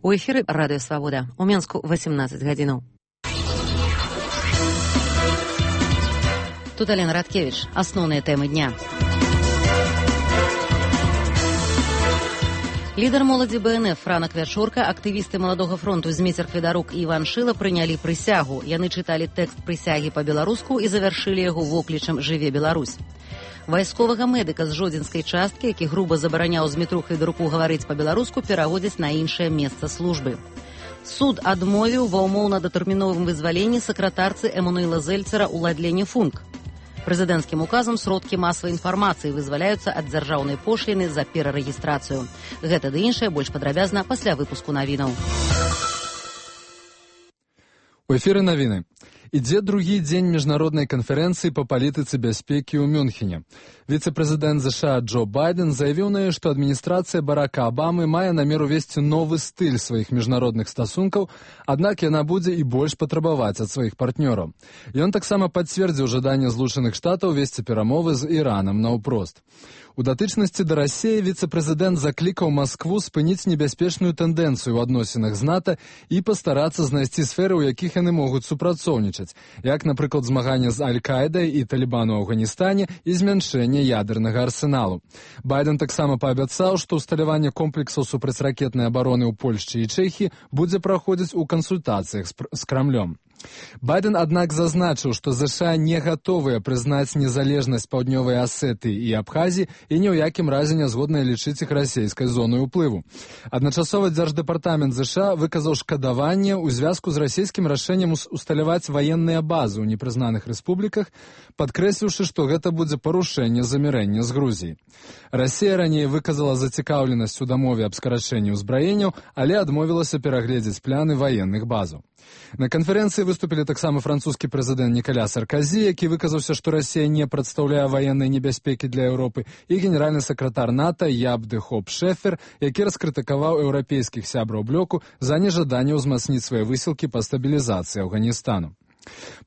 У эфіры Радыё Свабода. У Менску 18 гадзінаў. Тут Алена Радкевич. Асноўныя тэмы дня. Лідар моладзі БНФ Франак Вячорка, актывісты Маладога фронту Зміцер Хведарук і Іван Шыла прынялі прысягу. Яны чыталі тэкст прысягі па-беларуску і завяршылі яго воклічам «Жыве Беларусь». Вайсковага медыка з жодзінскай часткі, які груба забараняў Змітру Хведаруку гаварыць па-беларуску, пераводзяць на іншае месца службы. Суд адмовіў ва ўмоўна-датэрміновым вызваленні сакратарцы Эмануэла Зельцера Уладлене Функ. Прэзідэнцкім указам сродкі масавай інфармацыі вызваляюцца ад дзяржаўнай пошліны за перарэгістрацыю. Гэта ды іншае больш падрабязна пасля выпуску навінаў. У эфіры навіны. Ідзе другі дзень міжнароднай канферэнцыі па палітыцы бяспекі ў Мюнхене. Віцэ-прэзідэнт США Джо Байден заявіў на ёй, што адміністрацыя Барака Абамы мае намер увесці новы стыль сваіх міжнародных стасункаў, аднак яна будзе і больш патрабаваць ад сваіх партнёраў. Ён таксама пацвердзіў жаданне Злучаных Штатаў весці перамовы з Іранам наўпрост. У датычнасці да Расіі віцэ-прэзідэнт заклікаў Маскву спыніць небяспечную тэндэнцыю ў адносінах з НАТО і пастарацца знайсці сферы, у якіх яны могуць супрацоўнічаць, як, напрыклад, змаганне з Аль-Каідай і Талібану ў Афганістане і змяншэнне ядернага арсеналу. Байден таксама паабяцаў, што ўсталяванне комплексаў супрацьракетнай абароны ў Польшчы і Чэхіі будзе праходзіць у кансультацыях з Крамлём. Байден, аднак, зазначыў, што США не гатовыя прызнаць незалежнасць Паўднёвай Асетыі і Абхазіі і ні ў якім разе не згодныя лічыць іх расійскай зонай уплыву. Адначасова Дзярждэпартамент США выказаў шкадаванне ў звязку з расійскім рашэннем усталяваць ваенныя базы ў непрызнаных рэспубліках, падкрэсліўшы, што гэта будзе парушэнне замірэння з Грузіяй. Расія раней выказала зацікаўленасць у дамове аб скарачэнні ўзбраенняў, але адмовілася перагледзець пляны ваенных базаў. На канферэнцыі выступілі таксама французскі прэзідэнт Нікаля Сарказі, які выказаўся, што Расія не прадстаўляе ваеннай небяспекі для Еўропы, і генеральны сакратар НАТО Яб де Хоп Шэфер, які раскрытыкаваў еўрапейскіх сябраў блоку за нежаданне ўзмацніць свае высілкі па стабілізацыі Афганістану.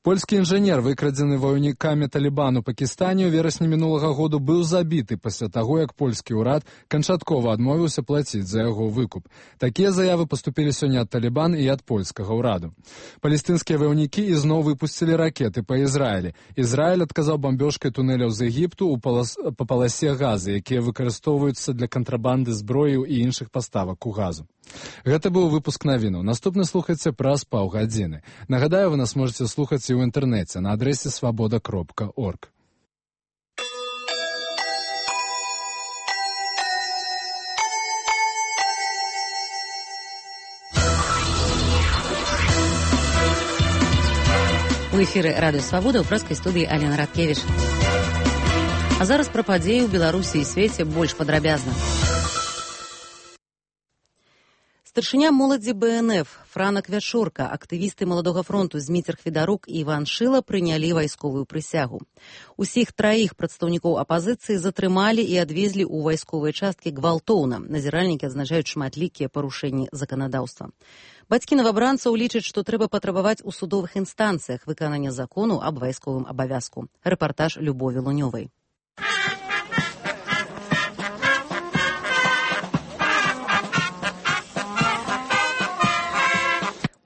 Польскі інжынер, выкрадзены ваяўнікамі Талібану Пакістане ў верасні мінулага году, быў забіты пасля таго, як польскі ўрад канчаткова адмовіўся плаціць за яго выкуп. Такія заявы паступілі сёння ад Талібан і ад польскага ўраду. Палестынскія ваяўнікі ізноў выпусцілі ракеты па Ізраілі. Ізраіль адказаў бамбёжкай тунэляў з Егіпту па паласе газы, якія выкарыстоўваюцца для кантрабанды зброяў і іншых паставак у газу. Гэта быў выпуск навінаў. Наступны слухайце праз паўгадзіны. Нагадаю, вы нас можете слухаць і ў інтэрнэце на адрэсе свабода.орг. У эфіры Радыё Свабода ў прэскай студыі Алена Радкевич. А зараз пра падзеі ў Беларусі і свеце больш падрабязна. Старшыня моладзі БНФ Франак Вячорка, актывісты Маладога фронту Зміцер Хведарук і Іван Шыла прынялі вайсковую прысягу. Усіх траіх прадстаўнікоў апазіцыі затрымалі і адвезлі ў вайсковыя часткі гвалтоўна. Назіральнікі адзначаюць шматлікія парушэнні заканадаўства. Бацькі новабранцаў лічаць, што трэба патрабаваць у судовых інстанцыях выканання закону аб вайсковым абавязку. Рэпартаж Любові Лунёвай.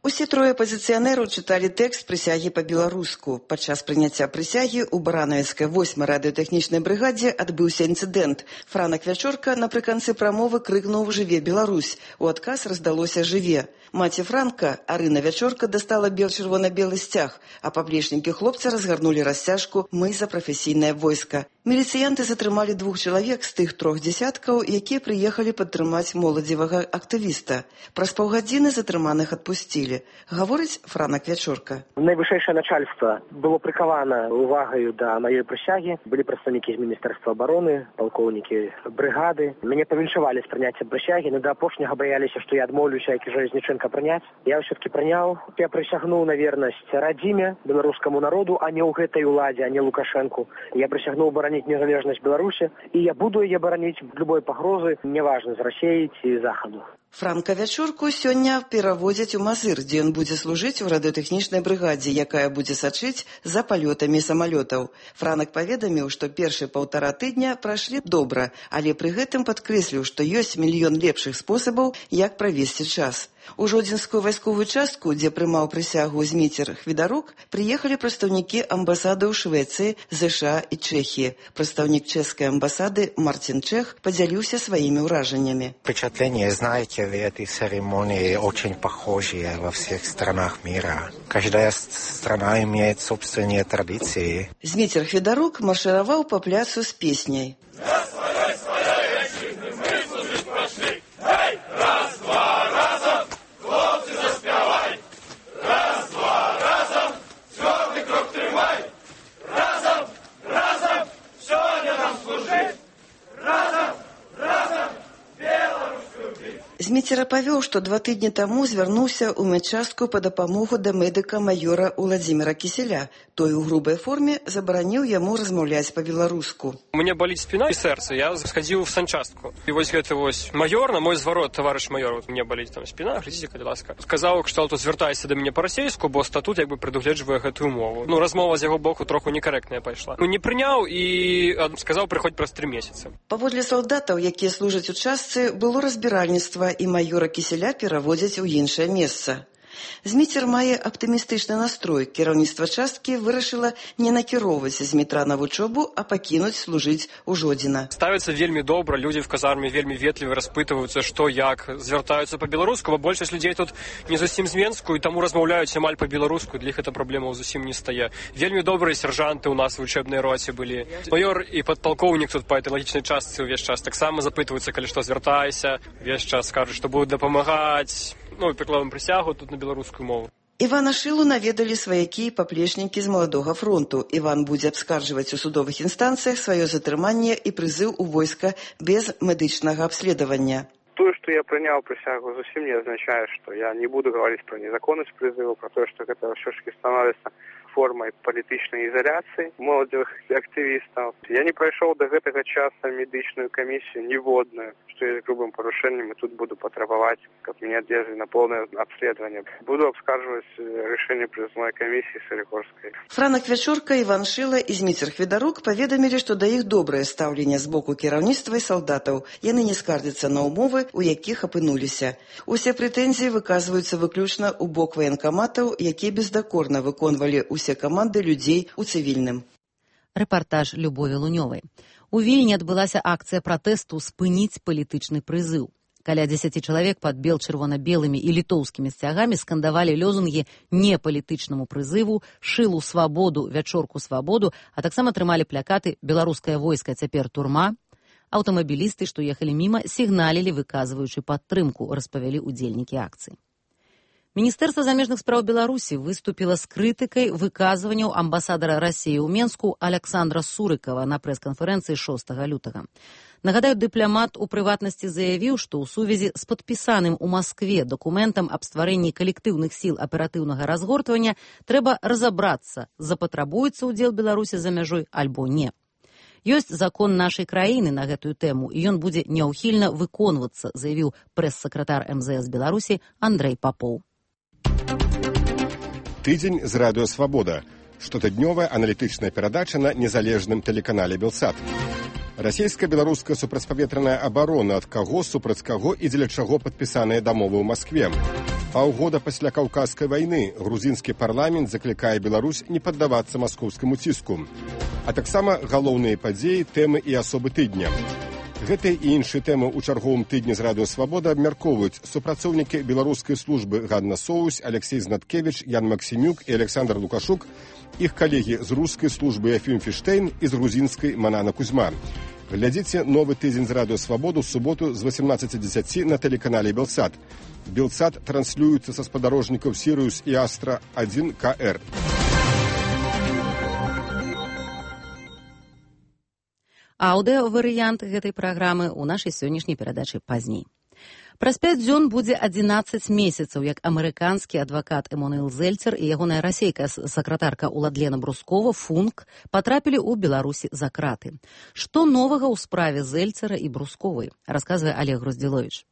Усе трое апазіцыянераў чыталі тэкст прысягі па-беларуску. Падчас прыняцця прысягі ў баранавіцкай 8-й радыётэхнічнай брыгадзе адбыўся інцыдэнт. Франак Вячорка напрыканцы прамовы крыкнуў «Жыве Беларусь!». У адказ раздалося «Жыве!». Маці Франка, Арына Вячорка, дастала бел-чырвона-белы сцяг, а паплечнікі хлопца разгарнулі расцяжку «Мы за прафесійнае войска». Міліцыянты затрымалі 2 чалавек з тых 3 дзясяткаў, якія прыехалі падтрымаць моладзевага актывіста. Праз паўгадзіны затрыманых адпусцілі. Гаворыць Франак Вячорка. Найвышэйшае начальства было прыкавана увагаю да маёй прысягі. Былі прадстаўнікі з Міністэрства абароны, палкоўнікі брыгады. Мяне павіншавалі з прыняцця прысягі, но да апошняга баяліся, што я адмоўлюся, як і Жалезніченка прыняць. Я ўсё-таки прыняў. Я прысягнуў на вернасць радзіме, беларускаму народу, а не ў гэтай уладзе, а не Лукашэнку. Я прысягнуў бараніць незалежнасць Беларусі, і я буду яе бараніць любой пагрозы, неважна, з Расіі ці Захаду. Франка Вячорку сёння пераводзяць у Мазыр, дзе ён будзе служыць у радыётэхнічнай брыгадзе, якая будзе сачыць за палётамі самалётаў. Франак паведаміў, што першыя 1,5 тыдня прайшлі добра, але пры гэтым падкрэсліў, што ёсць мільён лепшых спосабаў, як правесці час. У Жодзінскую вайсковую частку, дзе прымаў прысягу Зміцер Хвідарук, прыехалі прадстаўнікі амбасады ў Швецыі, ЗША і Чэхіі. Прадстаўнік чэшскай амбасады Мартин Чех подзяліўся сваімі ўражаннямі. Впечатление, знаете, в этой церемонии очень похожие во всех странах мира. Каждая страна имеет собственные традиции. Зміцер Хвідарук маршыраваў па пляцу з песняй. Зміцер апавёў, што 2 тыдні таму звярнуўся ў медчастку па дапамогу да медыка майора Уладзіміра Кіселя. Той у грубай форме забараніў яму размаўляць па-беларуску. У меня болит спина и сердце. Я сходил в санчастку. И вот это вот майор, на мой зворот, товарищ майор, вот мне болит там спина, глядите, калі ласка. Сказав, кшталту, звертайся до мене по-російську, бо статут якби предугледжує гэтую мову. Ну, размова з яго боку троху некорректная пайшла. Ну, не прыняў і сказаў, прыходь праз 3 месяцы. Паводле салдатаў, якія служаць у частцы, было разбіральніцтва, і майора Кіселя пераводзяць у іншае месца. Зміцер мае аптымістычны настрой. Кіраўніцтва часткі вырашыла не накіроўваць Змітра на вучобу, а пакінуць служыць у Жодзіна. Ставяцца вельмі добра, людзі в казарме вельмі ветліва распытваюцца, што як, звяртаюцца па-беларуску, бо большасць людзей тут не зусім з Менску, і таму размаўляюць амаль па-беларуску, для іх эта праблема зусім не стае. Вельмі добрыя сержанты ў нас в вучэбнай роце былі. Майор і падпалкоўнік тут па этэалагічнай частцы ўвесь час таксама запытваюцца, калі што звяртайся, увесь час кажуць, што будуць дапамагаць. Ну, і прыкладам прысягу тут на беларускую мову. Івана Шылу наведалі сваякі і паплечнікі з Маладога фронту. Іван будзе абскарджваць у судовых інстанцыях сваё затрыманне і прызыў у войска без медычнага абследавання. То, что я принял присягу, совсем не означает, что я не буду говорить про незаконность призыва, про то, что это все-таки становится формой политичной изоляции молодых активистов. Я не пройшов до этого часа медичную комиссию неводную, что я грубым порушением, и тут буду потребовать, как меня держали на полное обследование. Буду обскарживать решение призывной комиссии Солигорской. Франак Вячорка, Іван Шыла і Зміцер Хвідарук паведамілі, што да іх добрае стаўленне з боку кіраўніцтва і салдатаў. Яны не скардзяцца на умовы, у якіх апынуліся. Усе прэтэнзіі выказваюцца выключна ў бок ваенкаматаў, якія бездакорна выконвалі ўсе каманды людзей у цывільным. Рэпартаж Любові Лунёвай. У Вільні адбылася акцыя пратэсту «Спыніць палітычны прызыў». Каля 10 чалавек пад бел-чырвона-белымі і літоўскімі сцягамі скандавалі лозунгі «Не палітычнаму прызыву», «Шылу свабоду», «Вячорку свабоду», а таксама трымалі плакаты «Беларускае войска цяпер турма». Аўтамабілісты, што ехалі міма, сігналілі, выказваючы падтрымку, распавялі удзельнікі акцыі. Міністэрства замежных спраў Беларусі выступіла з крытыкай выказванняў амбасадара Расіі ў Менску Александра Сурыкава на прэс-канферэнцыі 6 лютага. Нагадаю, дыпламат у прыватнасці заявіў, што ў сувязі з падпісаным у Маскве дакументам аб стварэнні калектыўных сіл аператыўнага разгортвання трэба разабрацца, запатрабуецца ўдзел Беларусі за мяжой альбо не. Ёсць закон нашай краіны на гэтую тэму, і ён будзе няўхільна выконвацца, заявіў прэс-сакратар МЗС Беларусі Андрэй Папоў. Тыдзень з радыё «Свабода». Штотыднёвая аналітычная перадача на незалежным тэлеканале «Белсат». Расійска-беларуская супрацьпаветраная абарона, ад каго, супраць каго і дзеля чаго падпісаныя дамовы ў Маскве. Паўгода пасля Каўказскай вайны грузінскі парламент заклікае Беларусь не паддавацца маскоўскаму ціску. А таксама галоўныя падзеі, тэмы і асобы тыдня. Гэтыя і іншыя тэмы ў чарговым тыдні з радыё «Свабода» абмяркоўваюць супрацоўнікі беларускай службы Ганна Соусь, Алексей Знаткевіч, Ян Максімюк і Александр Лукашук, іх калегі з рускай службы Яфім Фіштейн і з грузінскай Манана Кузьма. Глядзіце новы тыдзень з радыё «Свабоду» ў суботу з 18:10 на тэлеканале «Белсат». «Белсат» транслюецца са спадарожнікаў «Сіриус» і «Астра-1 КР». Аўдыё-варыянт гэтай праграмы ў нашай сённяшняй перадачы пазней. Праз 5 дзён будзе 11 месяцаў, як амерыканскі адвакат Эмануэл Зельцер і ягоная расейка сакратарка Уладлена Брускова Функ патрапілі ў Беларусі за краты. Што новага ў справе Зельцера і Брусковай, расказвае Олег Груздзіловіч.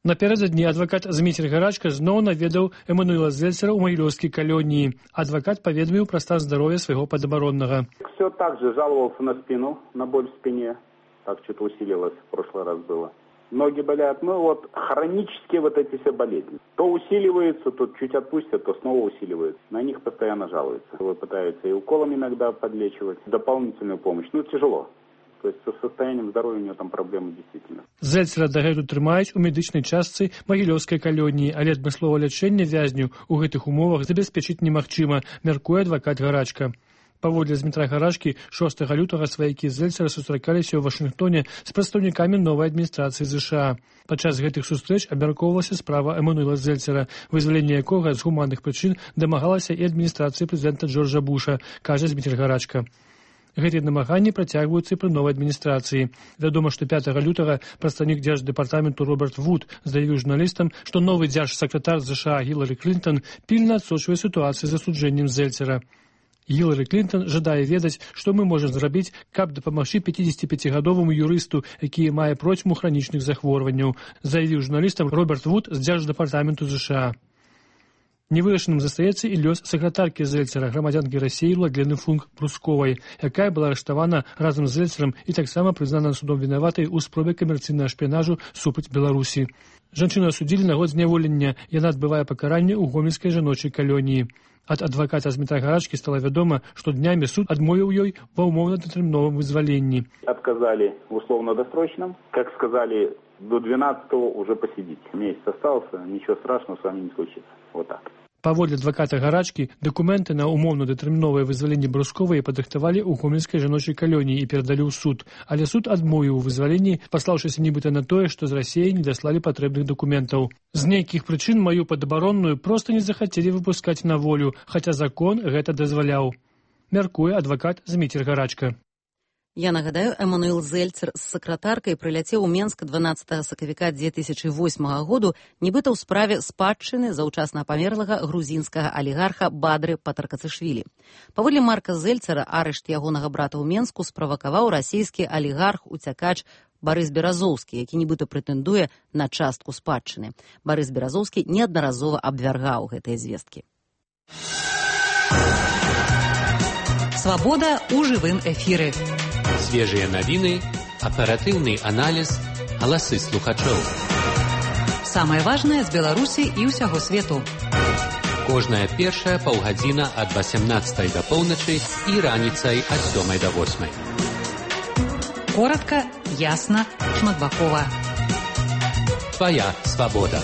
Напярэдадні адвакат Зміцер Гарачка зноў наведаў Эммануэла Зельцера ў магілёўскай калоніі. Адвакат паведаміў пра стан здароўя свайго падабароннага. Все так же жаловался на спину, на боль в спине. Так что-то усилилось, в прошлый раз было. Ноги болят. Ну вот хронические вот эти все болезни. То усиливаются, то чуть отпустят, то снова усиливаются. На них постоянно жалуются. Пытаются и уколом иногда подлечивать, дополнительную помощь. Ну, тяжело. То есть со состоянием здоровья у него там проблемы действительно. Зельцера дагэтуль трымаюць у медычнай частцы магілёўскай калоніі, але адмысловае лячэнне вязню ў гэтых умовах забяспечыць немагчыма, мяркуе адвакат Гарачка. Паводле Змітра Гарачкі, 6 лютага сваякі Зельцера сустракаліся ў Вашынгтоне з прадстаўнікамі новай адміністрацыі ЗША. Падчас гэтых сустрэч абмяркоўвалася справа Эммануэла Зельцера, вызваленне якога з гуманных прычын дамагалася і адміністрацыі прэзідэнта Джорджа Буша, кажа Змітр Гарачка. Гэтыя намаганні працягваюцца пры новай адміністрацыі. Вядома, што 5 лютага прадстаўнік дзярждэпартаменту Роберт Вуд заявіў журналістам, што новы дзяржсакратар ЗША Гілары Клінтон пільна адсочвае сітуацыю з асуджэннем Зельцера. Гілары Клінтон жадае ведаць, што мы можам зрабіць, каб дапамагчы 55-гадоваму юрысту, які мае процьму хранічных захворванняў, заявіў журналістам Роберт Вуд з дзярждэпартаменту ЗША. Невырашаным застаецца і лёс сакратаркі Зельцера, грамадзянкі Расіі Владлены Функ-Прусковай, якая была арыштавана разам з Зельцерам і таксама прызнана судом вінаватай у спробе камерцыйнага шпіянажу супраць Беларусі. Жанчыну асудзілі на год зняволення, яна адбывае пакаранне ў гомельскай жаночай калоніі. Ад адваката Змітра Гарачкі стала вядома, што днямі суд адмовіў ёй ва ўмоўна-датэрміновым вызваленні. Отказали в условно-досрочном. Как сказали, до 12-го уже посидите. Месяц остался, ничего страшного с вами не случится. Вот так. Паводле адваката Гарачкі, дакументы на умоўна-датэрміновае вызваленне Брусковай падрыхтавалі ў гомельскай жаночай калоніі і перадалі ў суд. Але суд адмовіў у вызваленні, паслаўшыся нібыта на тое, што з Расіі не даслалі патрэбных дакументаў. З нейкіх прычын маю падабаронную проста не захацелі выпускаць на волю, хаця закон гэта дазваляў. Мяркуе адвакат Зміцер Гарачка. Я нагадаю, Эммануэл Зельцер з сакратаркай прыляцеў у Менск 12 сакавіка 2008 году, нібыта ў справе спадчыны заўчасна памерлага грузінскага алігарха Бадры Патаркацышвілі. Паводле Марка Зельцера, арышт ягонага брата ў Менску справакаваў расійскі алігарх-уцякач Барыс Беразоўскі, які нібыта прэтэндуе на частку спадчыны. Барыс Беразоўскі неаднаразова абвяргаў гэтыя звесткі. Свабода ў жывым эфіры. Свежыя навіны, аператыўны аналіз, галасы слухачоў. Самае важнае з Беларусі і ўсяго свету. Кожная першая паўгадзіна ад 18 да поўначы і раніцай ад 7 да 8. Коратка, ясна, шматбакова. Твая свабода.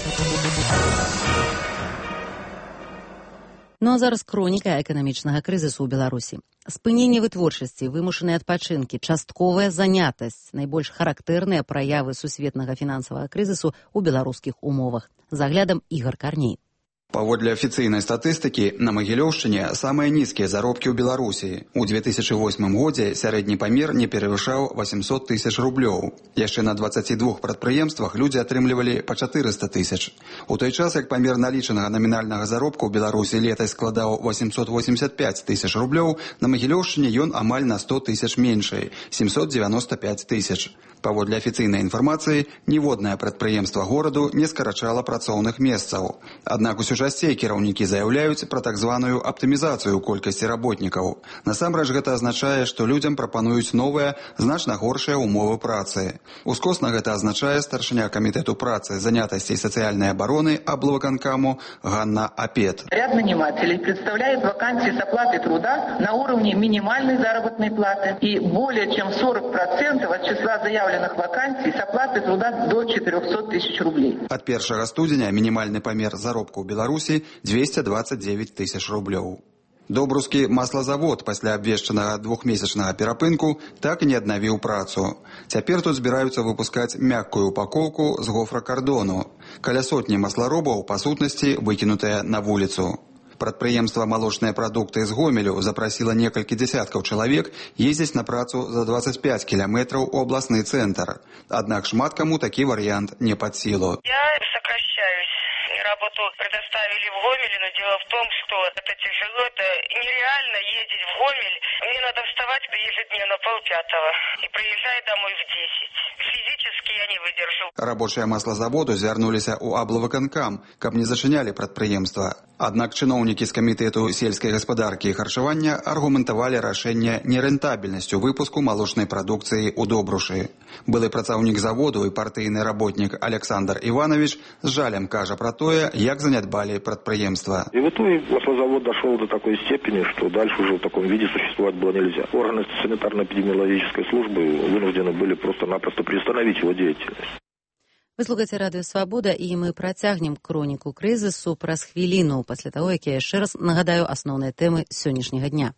Ну а зараз хроніка эканамічнага крызісу ў Беларусі. Спыненне вытворчасці, вымушаныя адпачынкі, частковая занятасць – найбольш характэрныя праявы сусветнага фінансавага крызісу ў беларускіх умовах. З аглядам Ігар Карней. Паводле афіцыйнай статыстыкі, на Магілёўшчыне самыя нізкія заробкі ў Беларусі. У 2008 годзе сярэдні памер не перавышаў 800 тысяч рублёў. Яшчэ на 22 прадпрыемствах людзі атрымлівалі па 400 тысяч. У той час, як памер налічанага намінальнага заробку ў Беларусі летась складаў 885 тысяч рублёў, на Магілёўшчыне ён амаль на 100 тысяч меншай – 795 тысяч. Паводле афіцыйнай інфармацыі, ніводнае прадпрыемства гораду не скарачала працоўных месцаў. Аднак усё часцей кіраўнікі заяўляюць пра так званую аптымізацыю колькасці работнікаў. Насамрэч гэта азначае, што людзям прапануюць новыя, значна горшыя умовы працы. Ускосна гэта азначае старшыня камітэту працы, занятасці і сацыяльнай абароны облвыканкаму Ганна Апет. Ряд нанимателей представляет вакансии с оплатой труда на уровне минимальной заработной платы и более чем 40% от числа заявленных вакансий с оплатой труда до 400 тысяч рублей. От 1 студзеня мінімальны памер заробку ў Беларусі 229 тысяч рублёў. Добрускі маслазавод пасля абвешчанага двухмесячнага перапынку так і не аднавіў працу. Цяпер тут збіраюцца выпускаць мяккую упакоўку з гофракардону. Каля сотні масларобаў, па сутнасці, выкінутыя на вуліцу. Прадпрыемства «Малочныя прадукты» з Гомелю запрасіла некалькі дзесяткаў чалавек ездзіць на працу за 25 кіламетраў у абласны цэнтр. Аднак шмат каму такі варыянт не пад сілу. Я сокращаюсь. Работу предоставили в Гомеле, но дело в том, что это тяжело, это нереально ездить в Гомель. Мне надо вставать ежедневно 4:30 и приезжать домой в 10. Физически я не выдержу. Рабочыя маслазаводу звярнуліся ў аблвыканкам, каб не зачынялі прадпрыемства. Аднак чыноўнікі з камітэту сельскай гаспадаркі і харчавання аргументавалі рашэнне нерэнтабельнасцю выпуску малочнай прадукцыі ў Добрушы. Былы працаўнік заводу і партыйны работнік Александр Иванович з жалем кажа пра тое, як занядбалі прадпрыемства. И в итоге маслозавод дошел до такой степени, что дальше уже в таком виде существовать было нельзя. Органы санитарно-эпидемиологической службы вынуждены были просто-напросто приостановить его деятельность. Вы слухаеце радыё Свабода, і мы працягнем хроніку крызісу праз хвіліну пасля таго, як я яшчэ раз нагадаю асноўныя тэмы сённяшняга дня.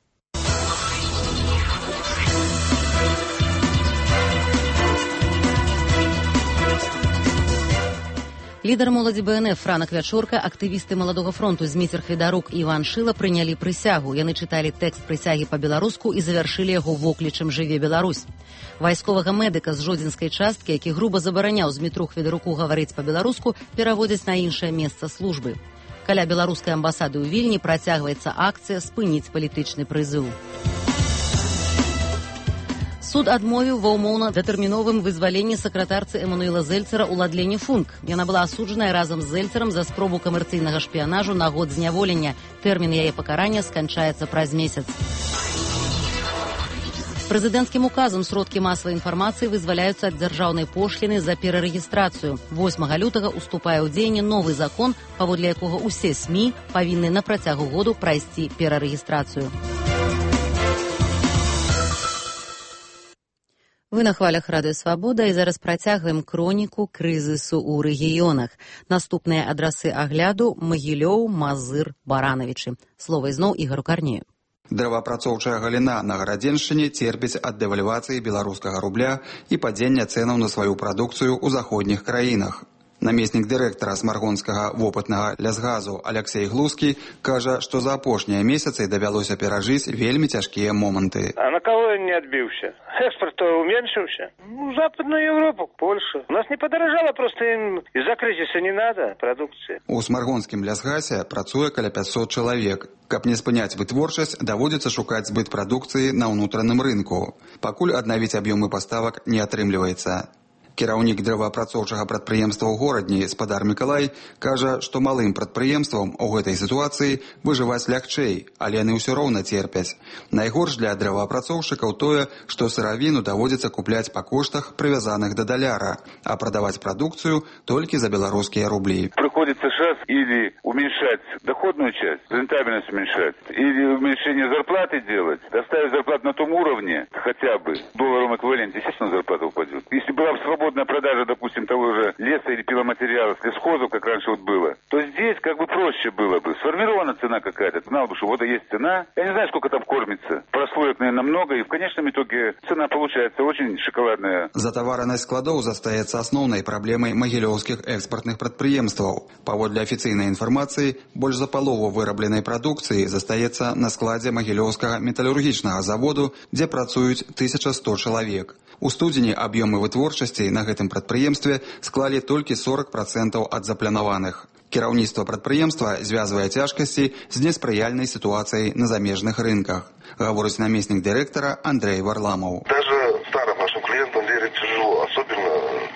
Лідар моладзі БНФ Франак Вячорка, актывісты Маладога фронту Зміцер Хведарук і Іван Шыла прынялі прысягу. Яны чыталі тэкст прысягі па-беларуску і завяршылі яго воклічам «Жыве Беларусь». Вайсковага медыка з жодзінскай часткі, які груба забараняў Змітру Хведаруку гаварыць па-беларуску, пераводзяць на іншае месца службы. Каля беларускай амбасады ў Вільні працягваецца акцыя «Спыніць палітычны прызыў». Суд адмовіў ва ўмоўна-датэрміновым вызваленні сакратарцы Эмануэла Зельцера Уладлене Функ. Яна была асуджаная разам з Зельцерам за спробу камерцыйнага шпіянажу на год зняволення. Тэрмін яе пакарання сканчаецца праз месяц. Прэзідэнцкім указам сродкі масавай інфармацыі вызваляюцца ад дзяржаўнай пошліны за перарэгістрацыю. 8 лютага уступае ў дзеянне новы закон, паводле якога ўсе СМІ павінны на працягу году прайсці перарэгістрацыю. Вы на хвалях радыё Свабода і зараз працягваем хроніку крызісу ў рэгіёнах. Наступныя адрасы агляду – Магілёў, Мазыр, Баранавічы. Слова ізноў Ігару Карнею. Дрэваапрацоўчая галіна на Гарадзеншчыне церпіць ад дэвальвацыі беларускага рубля і падзення цэнаў на сваю прадукцыю ў заходніх краінах. Намеснік дырэктара смаргонскага вопытнага лясгазу Алексей Глузкі кажа, што за апошнія месяцы давялося перажыць вельмі цяжкія моманты. А на кого он не отбился? Экспорт уменьшился. Западную Европу, Польшу. У нас не подорожало, просто им из-за кризиса не надо продукции. У смаргонскім лясгасе працуе каля 500 чалавек. Каб не спыняць вытворчасць, даводзіцца шукаць збыт прадукцыі на ўнутраным рынку. Пакуль аднавіць аб'ёмы паставак не атрымліваецца. Кіраўнік дрэваапрацоўчага прадпрыемства ў горадні спадар Мікалай кажа, што малым прадпрыемствам у гэтай сітуацыі выжываць лягчэй, але яны ўсё роўна церпяць. Найгорш для дрэваапрацоўшчыкаў тое, што сыравіну даводзіцца купляць па коштах, прывязаных да даляра, а прадаваць прадукцыю толькі за беларускія рублі. Приходится сейчас или уменьшать доходную часть, рентабельность уменьшать, или уменьшение зарплаты делать, доставить зарплату на том уровне, хотя бы в долларовом эквиваленте, естественно, зарплата упадет. Если была бы свободная продажа, допустим, того же леса или пиломатериалов, лесхозов, как раньше вот было, то здесь как бы проще было бы. Сформирована цена какая-то, знал бы, что вот есть цена. Я не знаю, сколько там кормится. Прослоек, наверное, много, и в конечном итоге цена получается очень шоколадная. Затаваранасць складоў застаецца асноўнай праблемай магілёўскіх экспартных прадпрыемстваў. Паводле афіцыйнай інфармацыі, больш за палову вырабленай прадукцыі застаецца на складзе магілёўскага металургічнага заводу, дзе працуюць 1100 чалавек. У студзені аб'ёмы вытворчасці на гэтым прадпрыемстве склалі толькі 40% ад запланаваных. Кіраўніцтва прадпрыемства звязвае цяжкасці з неспрыяльнай сітуацыяй на замежных рынках, гаворыць намеснік дырэктара Андрей Варламов. Даже старым нашим клиентам верить тяжело, особенно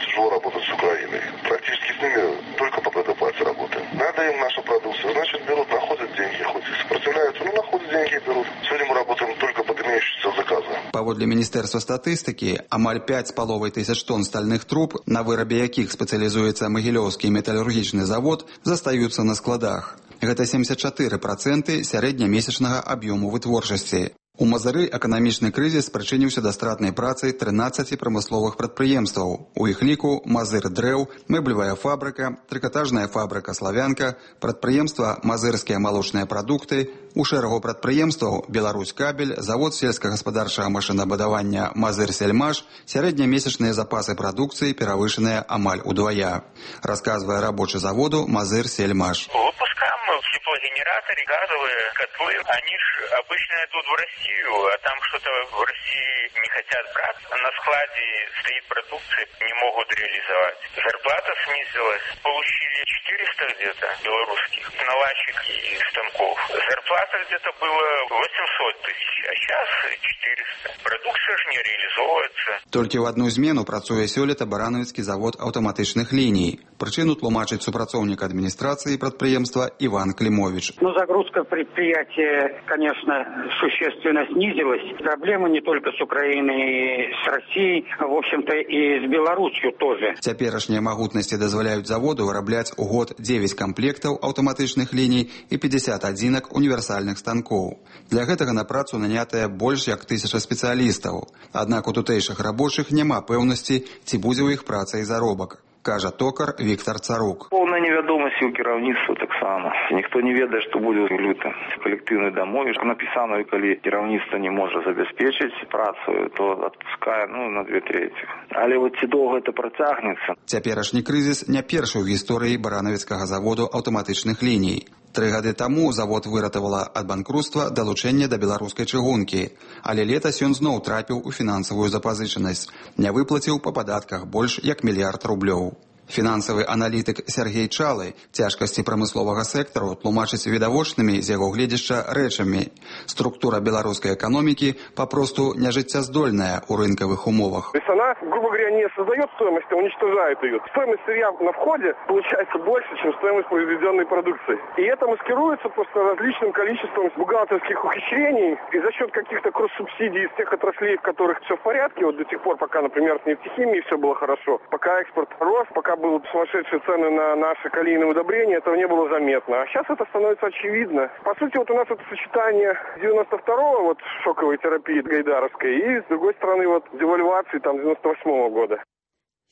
тяжело работать с Украиной. Практически с ними только по предоплате работаем. Надо им нашу продукцию, значит берут, находят деньги, хоть и сопротивляются, но находят деньги и берут. Сегодня мы работаем только под имеющиеся заказы. Паводле Міністэрства статыстыкі, амаль 5500 тонн стальных труб, на вырабе якіх спецыялізуецца магілёўскі металургічны завод, застаюцца на складах. Гэта 74% сярэднямесячнага аб'ёму вытворчасці. У Мазыры эканамічны крызіс прычыніўся да стратнай працы 13 прамысловых прадпрыемстваў. У іх ліку Мазыр дрэў, мэблевая фабрыка, трыкатажная фабрыка Славянка, прадпрыемства Мазырскія малочныя прадукты, у шэрагу прадпрыемстваў Беларусь кабель, завод сельскагаспадарчага машынабудавання Мазыр Сельмаш, сярэднямесячныя запасы прадукцыі перавышаныя амаль удвая. Расказвае рабочы заводу Мазыр Сельмаш. Выпускаем мы в Японии парогенераторы, газовые котлы, они же обычно идут в Россию, а там что-то в России не хотят брать. На складе стоит продукция, не могут реализовать. Зарплата снизилась. Получили 400 где-то белорусских наладчик и станков. Зарплата где-то была 800 тысяч, а сейчас 400. Продукция же не реализовывается. Толькі ў адну змену працуе сёлета баранавіцкі завод аўтаматычных ліній. Прычыну тлумачыць супрацоўнік адміністрацыі прадпрыемства Иван Климович. Загрузка предприятия, конечно, существенно снизилась. Проблемы не только с Украиной, с Россией, в общем-то и с Беларусью тоже. Цяперашнія магутнасці дазваляюць заводу вырабляць у год 9 камплектаў аўтаматычных ліній і 50 адзінак універсальных станкоў. Для гэтага на працу нанятыя больш як 1000 спецыялістаў. Аднак у тутэйшых рабочых няма пэўнасці, ці будзе ў іх праца і заробак, кажа токар Віктор Царук. Поўная невядомасць у кіраўніцтва таксама. Ніхто не ведае, што будзе ў люты. Калектыўны дамове напісана, калі кіраўніцтва не можа забяспечыць працу, то адпускае на 2/3. Але ці доўга гэта працягнецца? Цяперашні крызіс не першы ў гісторыі баранавіцкага заводу аўтаматычных ліній. 3 гады таму завод выратавала ад банкруцтва далучэнне да беларускай чыгункі, але летась ён зноў трапіў у фінансавую запазычанасць, не выплаціў па падатках больш як 1 мільярд рублёў. Фінансавы аналітык Сергей Чалы цяжкасці прамысловага сектару тлумачыць відавочнымі з яго гледзяшча рэчамі. Структура беларускай эканомікі папросту нежыццяздольная ў рынкавых умовах. То есть она, грубо говоря, не создает стоимость, а уничтожает ее. Стоимость сырья на входе получается больше, чем стоимость произведенной продукции. И это маскируется просто различным количеством бухгалтерских ухищрений. И за счет каких-то кросс-субсидий из тех отраслей, в которых все в порядке, вот до тех пор, пока, например, с нефтехимией все было хорошо, пока экспорт рос, пока были сумасшедшие цены на наши калийные удобрения, этого не было заметно. А сейчас это становится очевидно. По сути, вот у нас это сочетание 92-го, шоковой терапии гайдаровской, и, с другой стороны, девальвации 98-го года.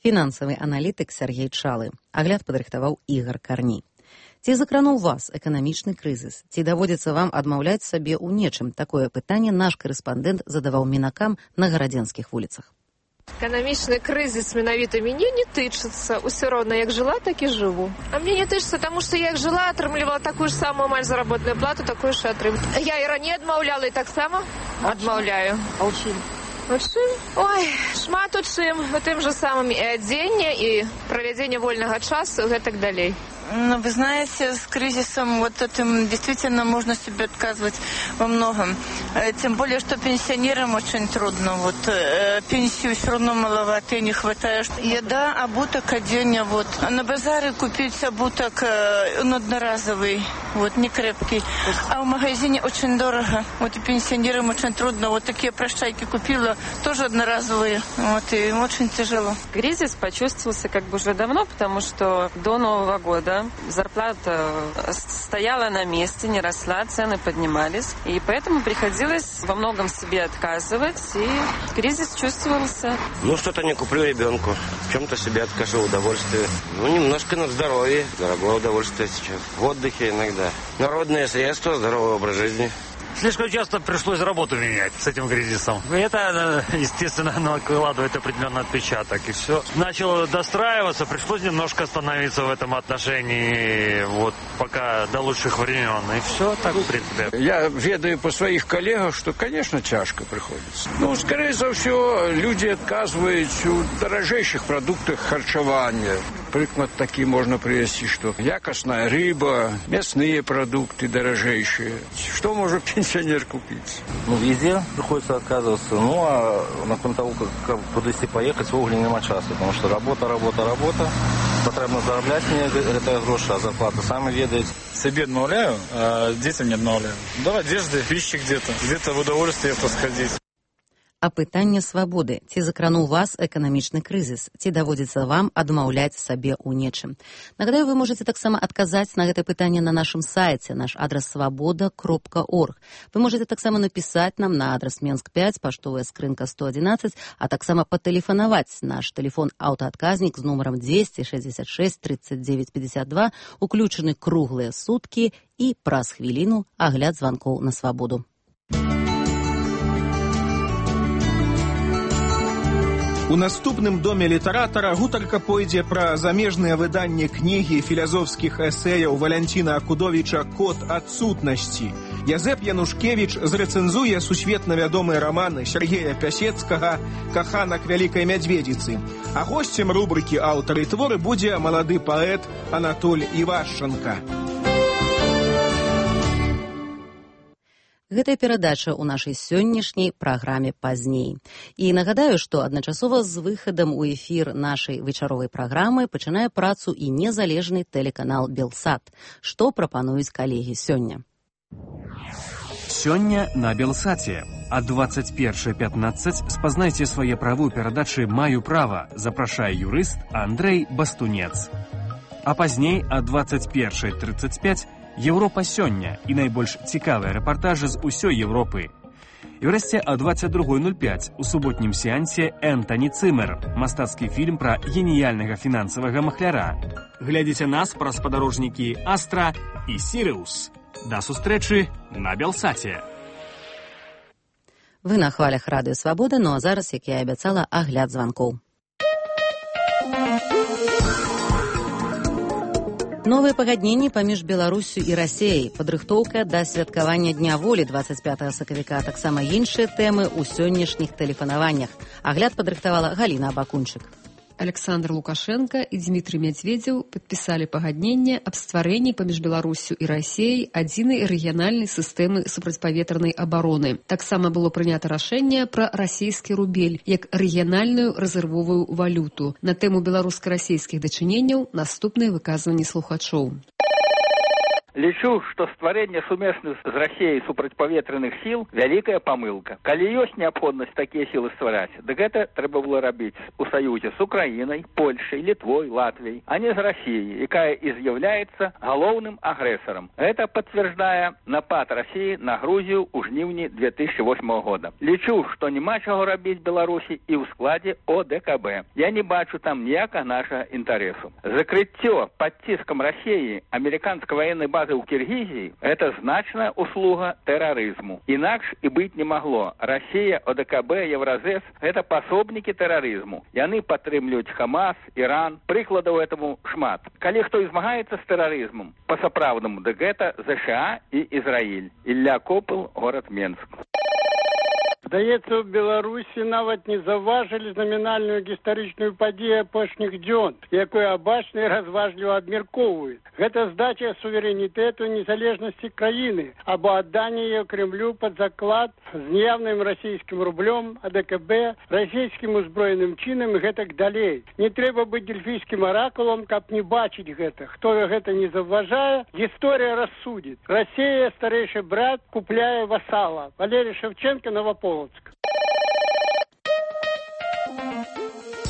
Фінансавы аналітык Сергей Чалы. Агляд падрыхтаваў Ігор Карній. Ці закрануў вас эканамічны крызіс? Ці даводзіцца вам адмаўляць сабе ў нечым? Такое пытанне наш корэспандэнт задаваў мінакам на гарадзенскіх вуліцах. Экономічны крызіс менавіта мяне не тычыцца. Усё роўна, як жыла, так і жыву. А мне не тычыцца, таму што як жыла, атрымлівала такую ж самую амаль заработную плату, такую ж атрымлівала. Я і раней адмаўляла, і таксама адмаўляю. А ў чым? У чым? Ой, шмат у чым. У тым жа самым і адзенне, і правядзенне вольнага часу, і гэтак далей. Ну, вы знаете, с кризисом этим действительно можно себе отказывать во многом. Тем более, что пенсионерам очень трудно. Пенсию все равно маловато и не хватает. Еда, обуток, оденье. А на базаре купить обуток одноразовый, не крепкий. А в магазине очень дорого. И пенсионерам очень трудно. Такие прощайки купила, тоже одноразовые. И им очень тяжело. Кризис почувствовался уже давно, потому что до Нового года зарплата стояла на месте, не росла, цены поднимались. И поэтому приходилось во многом себе отказывать, и кризис чувствовался. Что-то не куплю ребенку, в чем-то себе откажу удовольствие. Немножко на здоровье, дорогое удовольствие сейчас. В отдыхе иногда. Народные средства, здоровый образ жизни. Слишком часто пришлось работу менять с этим кризисом. Это, естественно, накладывает определенный отпечаток. И все. Начало достраиваться, пришлось немножко остановиться в этом отношении, пока до лучших времен. И все так, в принципе. Я ведаю по своих коллегах, что, конечно, тяжко приходится. Скорее всего, люди отказываются в дорожейших продуктах харчевания. Приклад такие можно привести, что якостная рыба, мясные продукты дорожейшие. Что может пенсионер купить? Везде приходится отказываться. А на того, как куда-то поехать, в угле нема часу. Потому что работа. Потребно заробляти мне это гроши, а зарплата сами ведают. Себе отмовляю, а детям не отмовляю. Да, одежды, пищи где-то в удовольствие посходить. Апытанне свабоды. Ці закрануў вас эканамічны крызіс? Ці даводзіцца вам адмаўляць сабе ў нечым? Нагадаю, вы можаце таксама адказаць на гэта пытанне на нашым сайце. Наш адрас свабода.орг. Вы можаце таксама напісаць нам на адрас Менск 5, паштовая скрынка 111, а таксама патэлефанаваць. Наш тэлефон аўтаадказнік з нумарам 266 39 52, уключаны круглыя суткі і праз хвіліну агляд званкоў на свабоду. У наступным доме літаратара гутарка пойдзе пра замежныя выданні кнігі філазофскіх эсэяў Валянціна Акудовіча «Код адсутнасці». Язэп Янушкевіч зрэцэнзуе сусветна вядомыя раманы Сергея Пясецкага «Каханак вялікай мядзведзіцы». А госцем рубрыкі «Аўтары творы» будзе малады паэт Анатоль Івашчанка. Гэтая перадача ў нашай сённяшняй праграме пазней. І нагадаю, што адначасова з выхадам у эфір нашай вечаровай праграмы пачынае працу і незалежны тэлеканал «Белсат». Што прапануюць калегі сёння? Сёння на Белсаце. А 21:15 спазнайце свае правы ў перадачы «Маю права», запрашае юрыст Андрэй Бастунец. А пазней а 21:35 Европа сёння і найбольш цікавыя рэпартажы з усёй Европы. І ўрэшце а 22:05 у суботнім сеансе Энтані Цымер, мастацкі фільм пра геніяльнага фінансавага махляра. Глядзіце нас праз спадарожнікі Астра і Сірыус. Да сустрэчы на Белсаце. Вы на хвалях радыё Свабода, ну а зараз, як я і абяцала, агляд званкоў. Новыя пагадненні паміж Беларусю і Расіяй, падрыхтоўка да святкавання Дня волі 25 сакавіка, таксама іншыя тэмы ў сённяшніх тэлефанаваннях. Агляд падрыхтавала Галіна Абакунчык. Александр Лукашенко и Дмитрий Медведев подписали погоднение об стварении паміж Беларусью и Россией адзінай рэгіянальнай сістэмы супрацьпаветранай обороны. Таксама было прынята рашэнне пра расійскі рубель як рэгіянальную рэзервовую валюту. На тэму беларуска-расійскіх дачыненняў наступныя выказванні слухачоў. Лічу, што стварэнне сумесных з Расіяй супрацьпаветраных сіл вялікая памылка. Калі ёсць неабходнасць такія сілы ствараць, дык гэта трэба было рабіць у саюзе з Украінай, Польшай, Літвой, Латвіяй, а не з Расіяй, якая і з'яўляецца галоўным агрэсарам. Гэта пацвярджае напад Расіі на Грузію ў жніўні 2008 года. Лічу, што няма чаго рабіць Беларусі і ў складзе ОДКБ. Я не бачу там ніякага нашага інтарэсу. Закрыццё пад ціскам Расіі амерыканскай ваеннай базы у Киргизии – это значная услуга терроризму. Инакш и быть не могло. Россия, ОДКБ, Евразес – это пособники терроризму. Яны падтрымліваюць Хамас, Иран. Прыкладаў этому шмат. Калі хто змагаецца з тэрарызмам па-сапраўднаму, дык гэта ЗША і Ізраіль. Ілля Копыл, горад Менск. Здаецца, у Беларусі нават не заўважылі намінальную гістарычную падзею апошніх дзён, якую абачна і разважліва абмяркоўваюць. Гэта здача суверэнітэту незалежнасці краіны або адданне яе Крэмлю пад заклад з неяўным расійскім рублём, АДКБ, расійскім узброеным чынам і гэтак далей. Не трэба быць дельфійскім аракулам, каб не бачыць гэта. Хто гэта не заўважае, гісторыя рассудзіць. Расія, старэйшы брат, купляе васала. Валерий Шевченко, Новополоцк.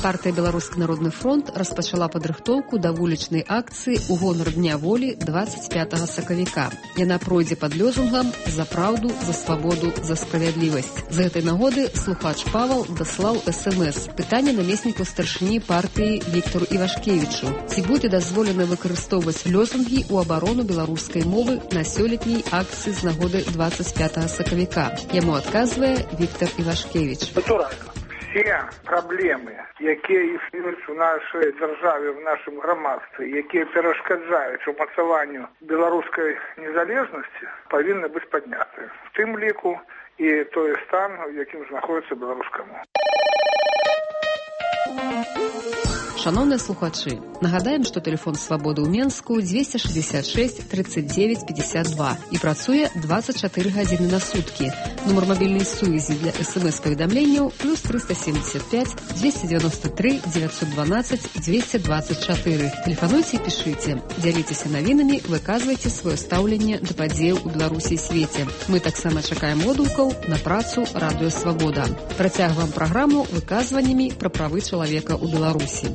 Партыя «Беларускі народны фронт» распачала падрыхтоўку да вулічнай акцыі ў гонар Дня волі 25 сакавіка. Яна пройдзе пад лёзунгам «За праўду, за свабоду, за справядлівасць». З гэтай нагоды слухач Павал даслаў СМС. Пытанне намесніку старшыні партыі Віктару Івашкевічу. Ці будзе дазволена выкарыстоўваць лёзунгі ў абарону беларускай мовы на сёлетняй акцыі з нагоды 25 сакавіка? Яму адказвае Віктар Івашкевіч. Все праблемы, якія існуюць у нашай дзяржаве, в нашым грамадстве, якія перашкаджаюць умацаванню беларускай незалежнасці, павінны быць падняты. В тым ліку і той стан, у якім знаходіцца беларуская мова. Шановныя слухачы, нагадаем, што тэлефон свабоды ў Менску 266 39 52 і працуе 24 гадзіны на суткі. Нумар мабільнай сувязі для СМС-паведамленняў плюс 375 293 912 224. Тэлефануйце і пішыце. Дзяліцеся навінамі, выказвайце сваё стаўленне да падзеяў у Беларусі і свеце. Мы таксама чакаем водгукаў на працу Радыё Свабода. Працягваем праграму выказваннямі пра правы чалавека ў Беларусі.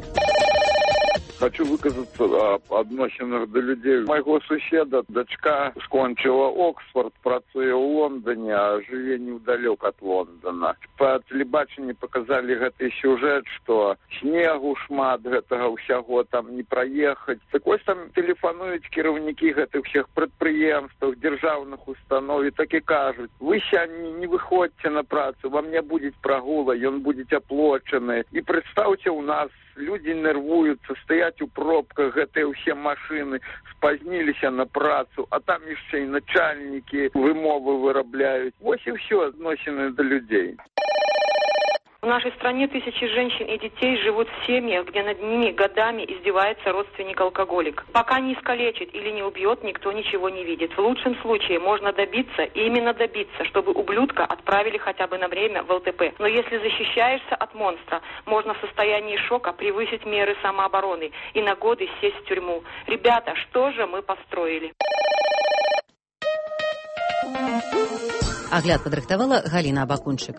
Хочу выказаться об адносінах до людей. Майго суседа дачка скончыла Оксфорд, працуе ў Лондоне, а жыве неўдалёк ад Лондона. Па тэлебачанні показалі гэты сюжэт, што снегу шмат, гэтага ўсяго там не праехаць. Так вось там тэлефануюць кіраўнікі гэтых всех прадпрыемстваў, дзяржаўных устаноў і так і кажуць: вы сёння не выходзьце на працу, вам не будзе прагула, ён будзе аплочаны. І прадстаўце, у нас люди нервуюцца, стаяць у пробках, гэтыя ўсе машыны спазніліся на працу, а там яшчэ і начальнікі вымовы вырабляюць. Вось і ўсё адносіны да людей. В нашей стране тысячи женщин и детей живут в семьях, где над ними годами издевается родственник-алкоголик. Пока не искалечит или не убьет, никто ничего не видит. В лучшем случае можно добиться, и именно добиться, чтобы ублюдка отправили хотя бы на время в ЛТП. Но если защищаешься от монстра, можно в состоянии шока превысить меры самообороны и на годы сесть в тюрьму. Ребята, что же мы построили? Агляд падрыхтавала Галина Абакунчык.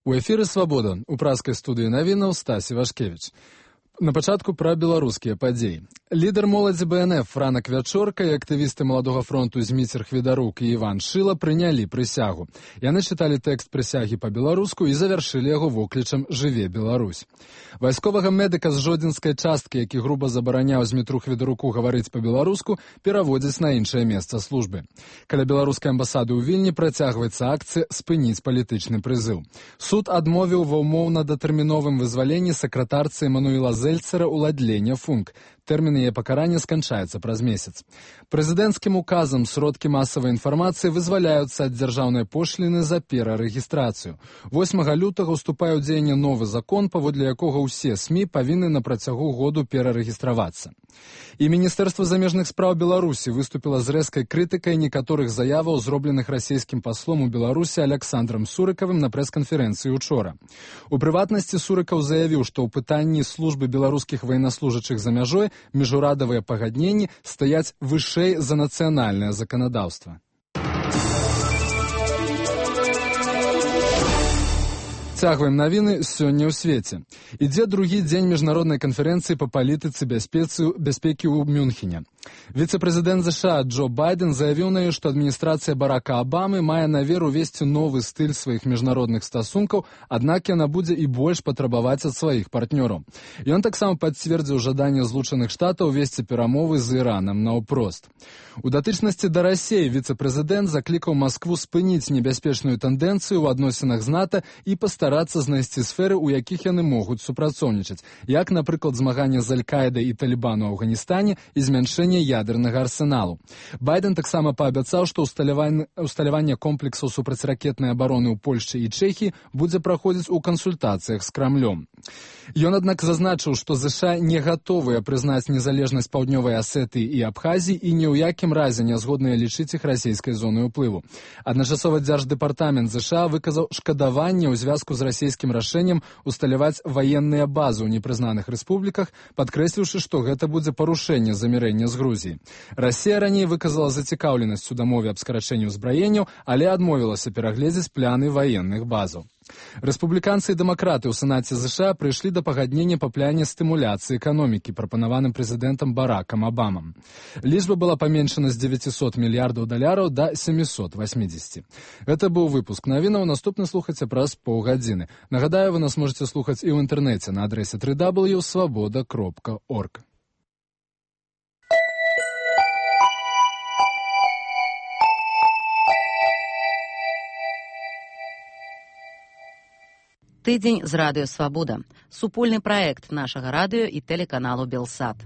У эфіры «Свабода» у пражскай студыі навінаў Стасі Вашкевіч. На пачатку пра беларускія падзеі. Лідар моладзі БНФ Франак Вячорка і актывісты Маладога фронту Зміцер Хведарук і Іван Шыла прынялі прысягу. Яны чыталі тэкст прысягі па-беларуску і завяршылі яго воклічам «Жыве Беларусь». Вайсковага медыка з жодзінскай часткі, які груба забараняў Змітру Хведаруку гаварыць па-беларуску, пераводзяць на іншае месца службы. Каля беларускай амбасады ў Вільні працягваецца акцыя «Спыніць палітычны прызыў». Суд адмовіў ва ўмоўна-датэрміновым вызваленні сакратарцы Эмануіла Зельцера ўладлення функ. Тэрмін яе пакарання сканчаецца праз месяц. Прэзідэнцкім указам сродкі масавай інфармацыі вызваляюцца ад дзяржаўнай пошліны за перарэгістрацыю. 8 лютага ўступае ў дзеянне новы закон, паводле якога ўсе СМІ павінны на працягу году перарэгістравацца. І Міністэрства замежных спраў Беларусі выступіла з рэзкай крытыкай некаторых заяваў, зробленых расійскім паслом у Беларусі Аляксандрам Сурыкавым на прэс-канферэнцыі учора. У прыватнасці Сурыкаў заявіў, што ў пытанні службы беларускіх ваеннаслужачых за мяжой міжурадавыя пагадненні стаяць вышэй за нацыянальнае заканадаўства. Цягваем навіны сёння ў свеце. Ідзе другі дзень міжнароднай канферэнцыі па палітыцы бяспекі ў Мюнхене. Віцэ-прэзідэнт США Джо Байден заявіў на ёй, што адміністрацыя Барака Абамы мае намер увесці новы стыль сваіх міжнародных стасункаў, аднак яна будзе і больш патрабаваць ад сваіх партнёраў. Ён таксама пацвердзіў жаданне Злучаных Штатаў весці перамовы з Іранам наўпрост. У датычнасці да Расіі віцэ-прэзідэнт заклікаў Маскву спыніць небяспечную тэндэнцыю ў адносінах з НАТО і пастарацца знайсці сферы, у якіх яны могуць супрацоўнічаць, як, напрыклад, змаганне з Аль-Каідай і Талібану ў Афганістане і змяншэнне ядернага арсеналу. Байден таксама паабяцаў, што усталяванне комплексаў супрацьракетнай абароны ў Польшчы і Чэхіі будзе праходзіць у кансультацыях з Крамлём. Ён, аднак, зазначыў, што ЗША не гатовыя прызнаць незалежнасць Паўднёвай Асетыі і Абхазіі і ні ў якім разе не згодныя лічыць іх расійскай зонай уплыву. Адначасова дзярждэпартамент ЗША выказаў шкадаванне ў звязку з расійскім рашэннем усталяваць ваенныя базы ў непрызнаных рэспубліках, падкрэсліўшы, што гэта будзе парушэнне замірэння з Грузіі. Расія раней выказала зацікаўленасць у дамове аб скарачэнні ўзбраенняў, але адмовілася перагледзець пляны ваенных базаў. Рэспубліканцы і дэмакраты ў Сенаце ЗША прыйшлі да пагаднення па пляне стымуляцыі эканомікі, прапанаваным прэзідэнтам Баракам Абамам. Лічба была паменшана з $900 мільярдаў да 780. Гэта быў выпуск навінаў, наступны слухайце праз паўгадзіны. Нагадаю, вы нас можете слухаць і ў інтэрнэце на адрэсе www.svoboda.org. Тыдзень з радыё «Свабода». Супольны праект нашага радыё і тэлеканалу «Белсат».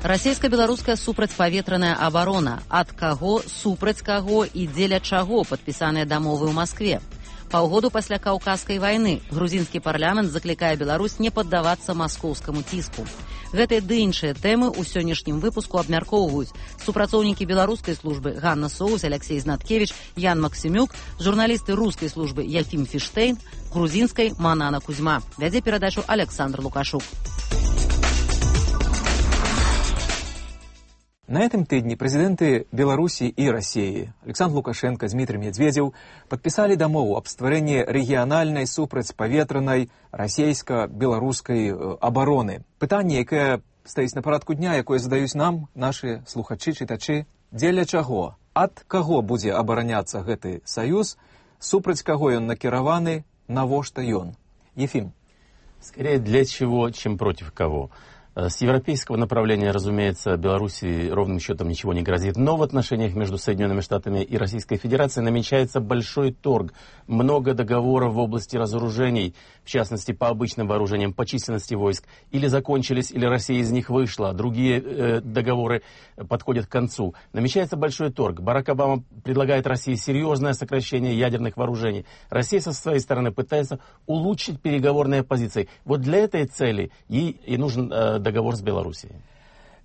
Расійска-беларуская супрацьпаветраная абарона. Ад каго, супраць каго і дзеля чаго падпісаныя дамовы ў Маскве. Паўгоду пасля Каўказскай вайны грузінскі парламент заклікае Беларусь не паддавацца маскоўскаму ціску. Гэтыя ды іншыя тэмы ў сённяшнім выпуску абмяркоўваюць супрацоўнікі беларускай службы Ганна Соус, Алексей Знаткевич, Ян Максімюк, журналісты рускай службы Ефім Фіштейн, грузінскай Манана Кузьма. Вядзе перадачу Александр Лукашук. На этом тыдні прэзідэнты Беларусі і Расіі Александр Лукашенко, Дмітрий Медведзеў падпісалі дамову аб стварэнні рэгіянальнай супрацьпаветранай расійска-беларускай абароны. Пытанне, якое стаіць на парадку дня, якое задаюць нам нашы слухачы, чытачы, дзеля чаго, ад каго будзе абараняцца гэты саюз, супраць каго ён накіраваны, навошта ён? Ефим. Скорее для чего, чем против кого. С европейского направления, разумеется, Беларуси ровным счетом ничего не грозит. Но в отношениях между Соединенными Штатами и Российской Федерацией намечается большой торг. Много договоров в области разоружений, в частности, по обычным вооружениям, по численности войск, или закончились, или Россия из них вышла. Другие договоры подходят к концу. Намечается большой торг. Барак Обама предлагает России серьезное сокращение ядерных вооружений. Россия со своей стороны пытается улучшить переговорные позиции. Вот для этой цели ей и нужен договор с Беларусией.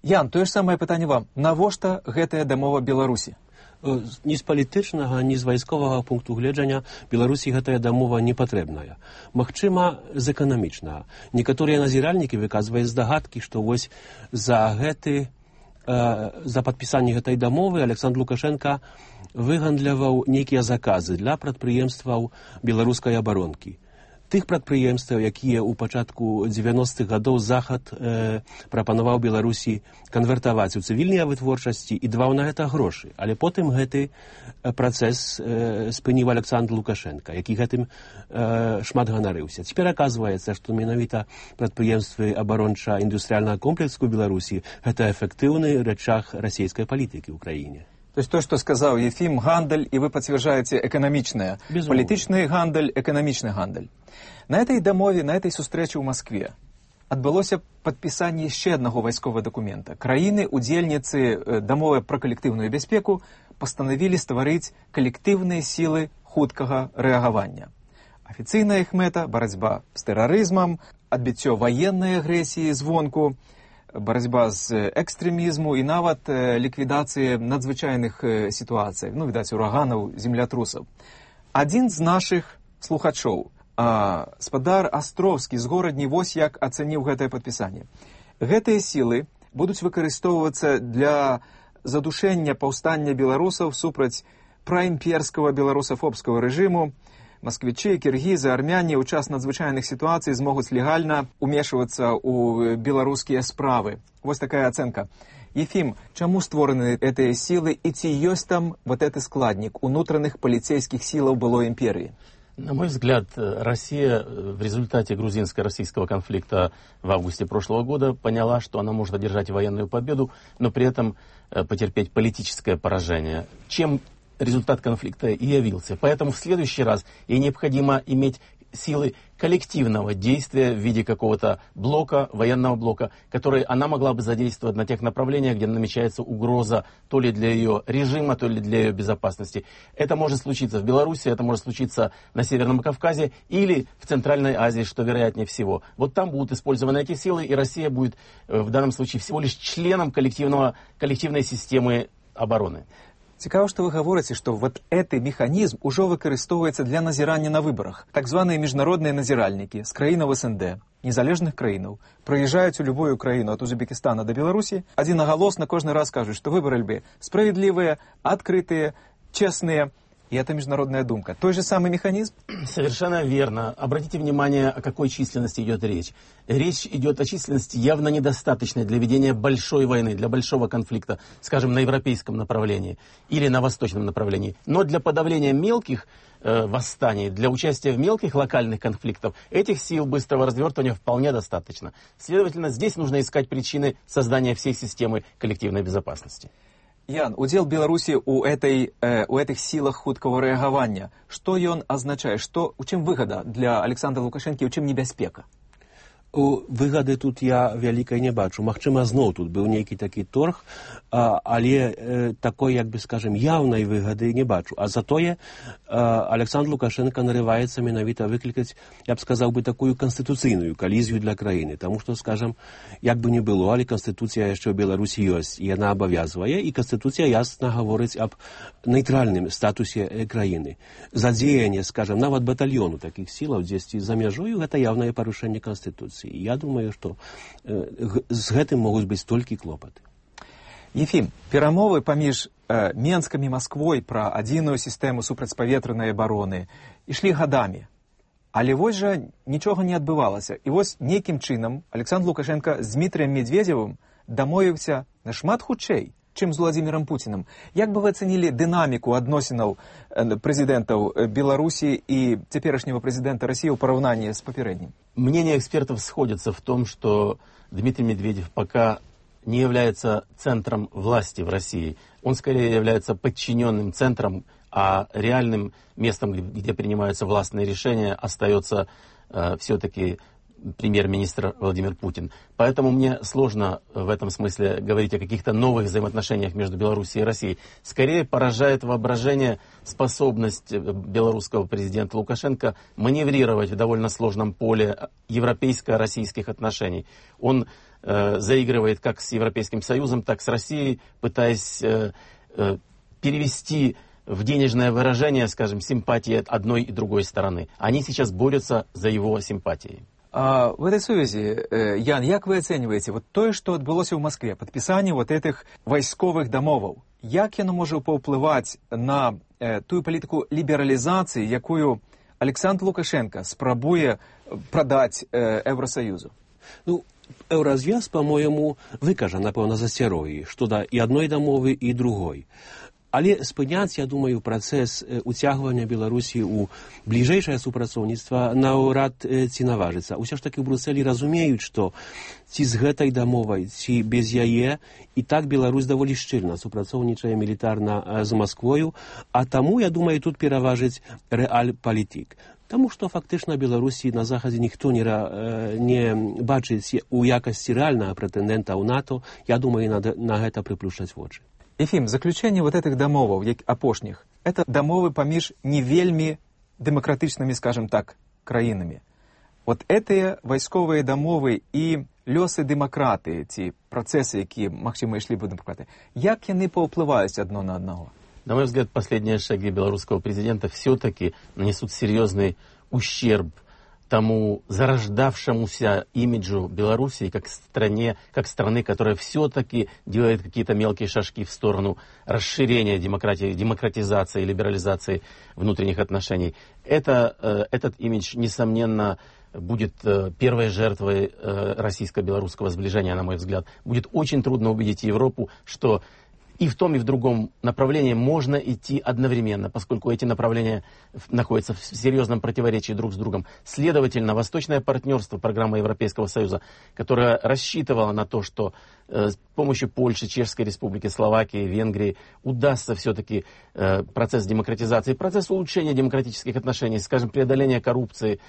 Ян, тое ж самае пытанне вам. Навошта гэтая дамова Беларусі? Ні з палітычнага, ні з вайсковага пункту гледжання Беларусі гэтая дамова не патрэбная. Магчыма, з эканамічнага. Некаторыя назіральнікі выказваюць здагадкі, што вось за падпісанне гэтай дамовы Александр Лукашенко выгандляваў нейкія заказы для прадпрыемстваў беларускай абаронкі. Тых прадпрыемстваў, якія ў пачатку 90-х гадоў Захад прапанаваў Беларусі канвертаваць у цывільныя вытворчасці і даваў на гэта грошы. Але потым гэты працэс спыніў Александр Лукашенко, які гэтым шмат ганарыўся. Цяпер аказваецца, што менавіта прадпрыемствы абаронча-індустрыяльнага комплексу Беларусі гэта эфектыўны рычаг расійскай палітыкі ў краіне. То есть то, что сказал Ефим, гандаль, и вы подтверждаете экономичное. Политичный гандаль, экономичный гандаль. На этой дамове, на этой сустрэчы ў Москве адбылося падпісанне яшчэ аднаго вайсковага дакумента. Краіны-удзельніцы дамовы пра калектыўную бяспеку пастанавілі стварыць калектыўныя сілы хуткага рэагавання. Афіцыйная іх мэта – барацьба з тэрарызмам, адбіццё ваеннай агрэсіі звонку, барацьба з экстрэмізму і нават ліквідацыі надзвычайных сітуацый, відаць, ураганаў, землятрусаў. Адзін з нашых слухачоў, спадар Астровскі з горадні, вось як ацаніў гэтае падпісанне. Гэтыя сілы будуць выкарыстоўвацца для задушэння паўстання беларусаў супраць праімперскага беларусафобскага рэжыму. Москвичи, киргизы, армяне ў час надзвычайных ситуаций змогуць легально умешиваться ў беларускія справы. Вот такая оценка. Ефим, чему створаны эти силы и ці ёсць там вот этот складник унутранных полицейских сил былой империи? На мой взгляд, Россия в результате грузинско-российского конфликта в августе прошлого года поняла, что она может одержать военную победу, но при этом потерпеть политическое поражение, чем результат конфликта и явился. Поэтому в следующий раз ей необходимо иметь силы коллективного действия в виде какого-то блока, военного блока, который она могла бы задействовать на тех направлениях, где намечается угроза то ли для ее режима, то ли для ее безопасности. Это может случиться в Беларуси, это может случиться на Северном Кавказе или в Центральной Азии, что вероятнее всего. Вот там будут использованы эти силы, и Россия будет в данном случае всего лишь членом коллективной системы обороны. Цікаво, што вы гаворыце, што вот гэты механізм ужо выкарыстоўваецца для назірання на выбарах. Так званыя міжнародныя назіральнікі з краінаў СНД, незалежных краінаў, прыязджаюць у любую краіну ад Узбекістана да Беларусі, адзінагалосна кожны раз кажуць, што выбары справядлівыя, адкрытыя, честные. И это международная думка. Той же самый механизм? Совершенно верно. Обратите внимание, о какой численности идет речь. Речь идет о численности явно недостаточной для ведения большой войны, для большого конфликта, скажем, на европейском направлении или на восточном направлении. Но для подавления мелких восстаний, для участия в мелких локальных конфликтах этих сил быстрого развертывания вполне достаточно. Следовательно, здесь нужно искать причины создания всей системы коллективной безопасности. Ян, удзел Беларусі у этих сілах хуткага рэагавання. Што ён азначае? У чым выгада для Александра Лукашэнкі, у чым небяспека? Выгады тут я вялікай не бачу. Магчыма, зноў тут быў нейкі такі торг, але такой, як бы скажем, яўнай выгады не бачу. А затое Александр Лукашенко нарываецца менавіта выклікаць, я б сказаў бы, такую канстытуцыйную калізію для краіны. Таму што, скажем, як бы не было, але канстытуцыя яшчэ ў Беларусі ёсць, і яна абавязвае, і канстытуцыя ясна гаворыць аб нейтральным статусе краіны. Задзеянне, скажем, нават батальёну такіх сілаў дзесьці за мяжою, гэта яўнае парушэнне канстытуцыі. Я думаю, што з гэтым могуць быць толькі клопаты. Ефім, перамовы паміж Менскам і Масквой пра адзіную сістэму супрацьпаветранай абароны ішлі гадамі. Але вось жа нічога не адбывалася. І вось нейкім чынам Александр Лукашенко з Дмітрыем Медведзевым дамовіўся нашмат хутчэй, чым з Владзімірам Пуцінам. Як бы вы ацэнілі дынаміку адносінаў прэзідэнтаў Беларусі і цяперашняга прэзідэнта России ў параўнанні з папярэднім? Мнения экспертов сходятся в том, что Дмитрий Медведев пока не является центром власти в России. Он скорее является подчиненным центром, а реальным местом, где принимаются властные решения, остается все-таки премьер-министр Владимир Путин. Поэтому мне сложно в этом смысле говорить о каких-то новых взаимоотношениях между Белоруссией и Россией. Скорее поражает воображение способность белорусского президента Лукашенко маневрировать в довольно сложном поле европейско-российских отношений. Он заигрывает как с Европейским Союзом, так и с Россией, пытаясь перевести в денежное выражение, скажем, симпатии одной и другой стороны. Они сейчас борются за его симпатии. В этой связи, Ян, як вы оцениваете вот то, что отбылось в Москве, подписание вот этих войсковых домовов, як яно може паўплываць на ту политику либерализации, якую Александр Лукашенко спрабуе продать Евросоюзу? Ну, Еўразвяз, по-моему, выкажа, напэўна, засцярогі, што да і адной дамовы, і другой. Але спыняць, я думаю, працэс уцягвання Беларусі ў бліжэйшае супрацоўніцтва наўрад ці наважыцца. Усё ж такі ў Брусэлі разумеюць, што ці з гэтай дамовай, ці без яе, і так Беларусь даволі шчыльна супрацоўнічае мілітарна з Масквою, а таму, я думаю, тут пераважыць рэаль-палітык. Таму што фактычна Беларусі на захадзе ніхто не бачыць у якасці рэальнага прэтэндэнта ў НАТО, я думаю, на гэта прыплюшчаць вочы. Ефим, заключение вот этих домовов, апошних, это домовы паміж не вельми демократичными, скажем так, краинами. Вот эти войсковые домовы и лёсы демократы, ці процессы, якія, магчыма, ішлі бы демократы, як яны паўплываюць одно на одного? На мой взгляд, последние шаги белорусского президента все-таки нанесут серьезный ущерб тому зарождавшемуся имиджу Белоруссии как страны, которая все-таки делает какие-то мелкие шажки в сторону расширения демократии, демократизации, либерализации внутренних отношений. Этот имидж, несомненно, будет первой жертвой российско-белорусского сближения, на мой взгляд. Будет очень трудно убедить Европу, что и в том, и в другом направлении можно идти одновременно, поскольку эти направления находятся в серьезном противоречии друг с другом. Следовательно, восточное партнерство, программа Европейского Союза, которая рассчитывала на то, что с помощью Польши, Чешской Республики, Словакии, Венгрии удастся все-таки процесс демократизации, процесс улучшения демократических отношений, скажем, преодоления коррупции,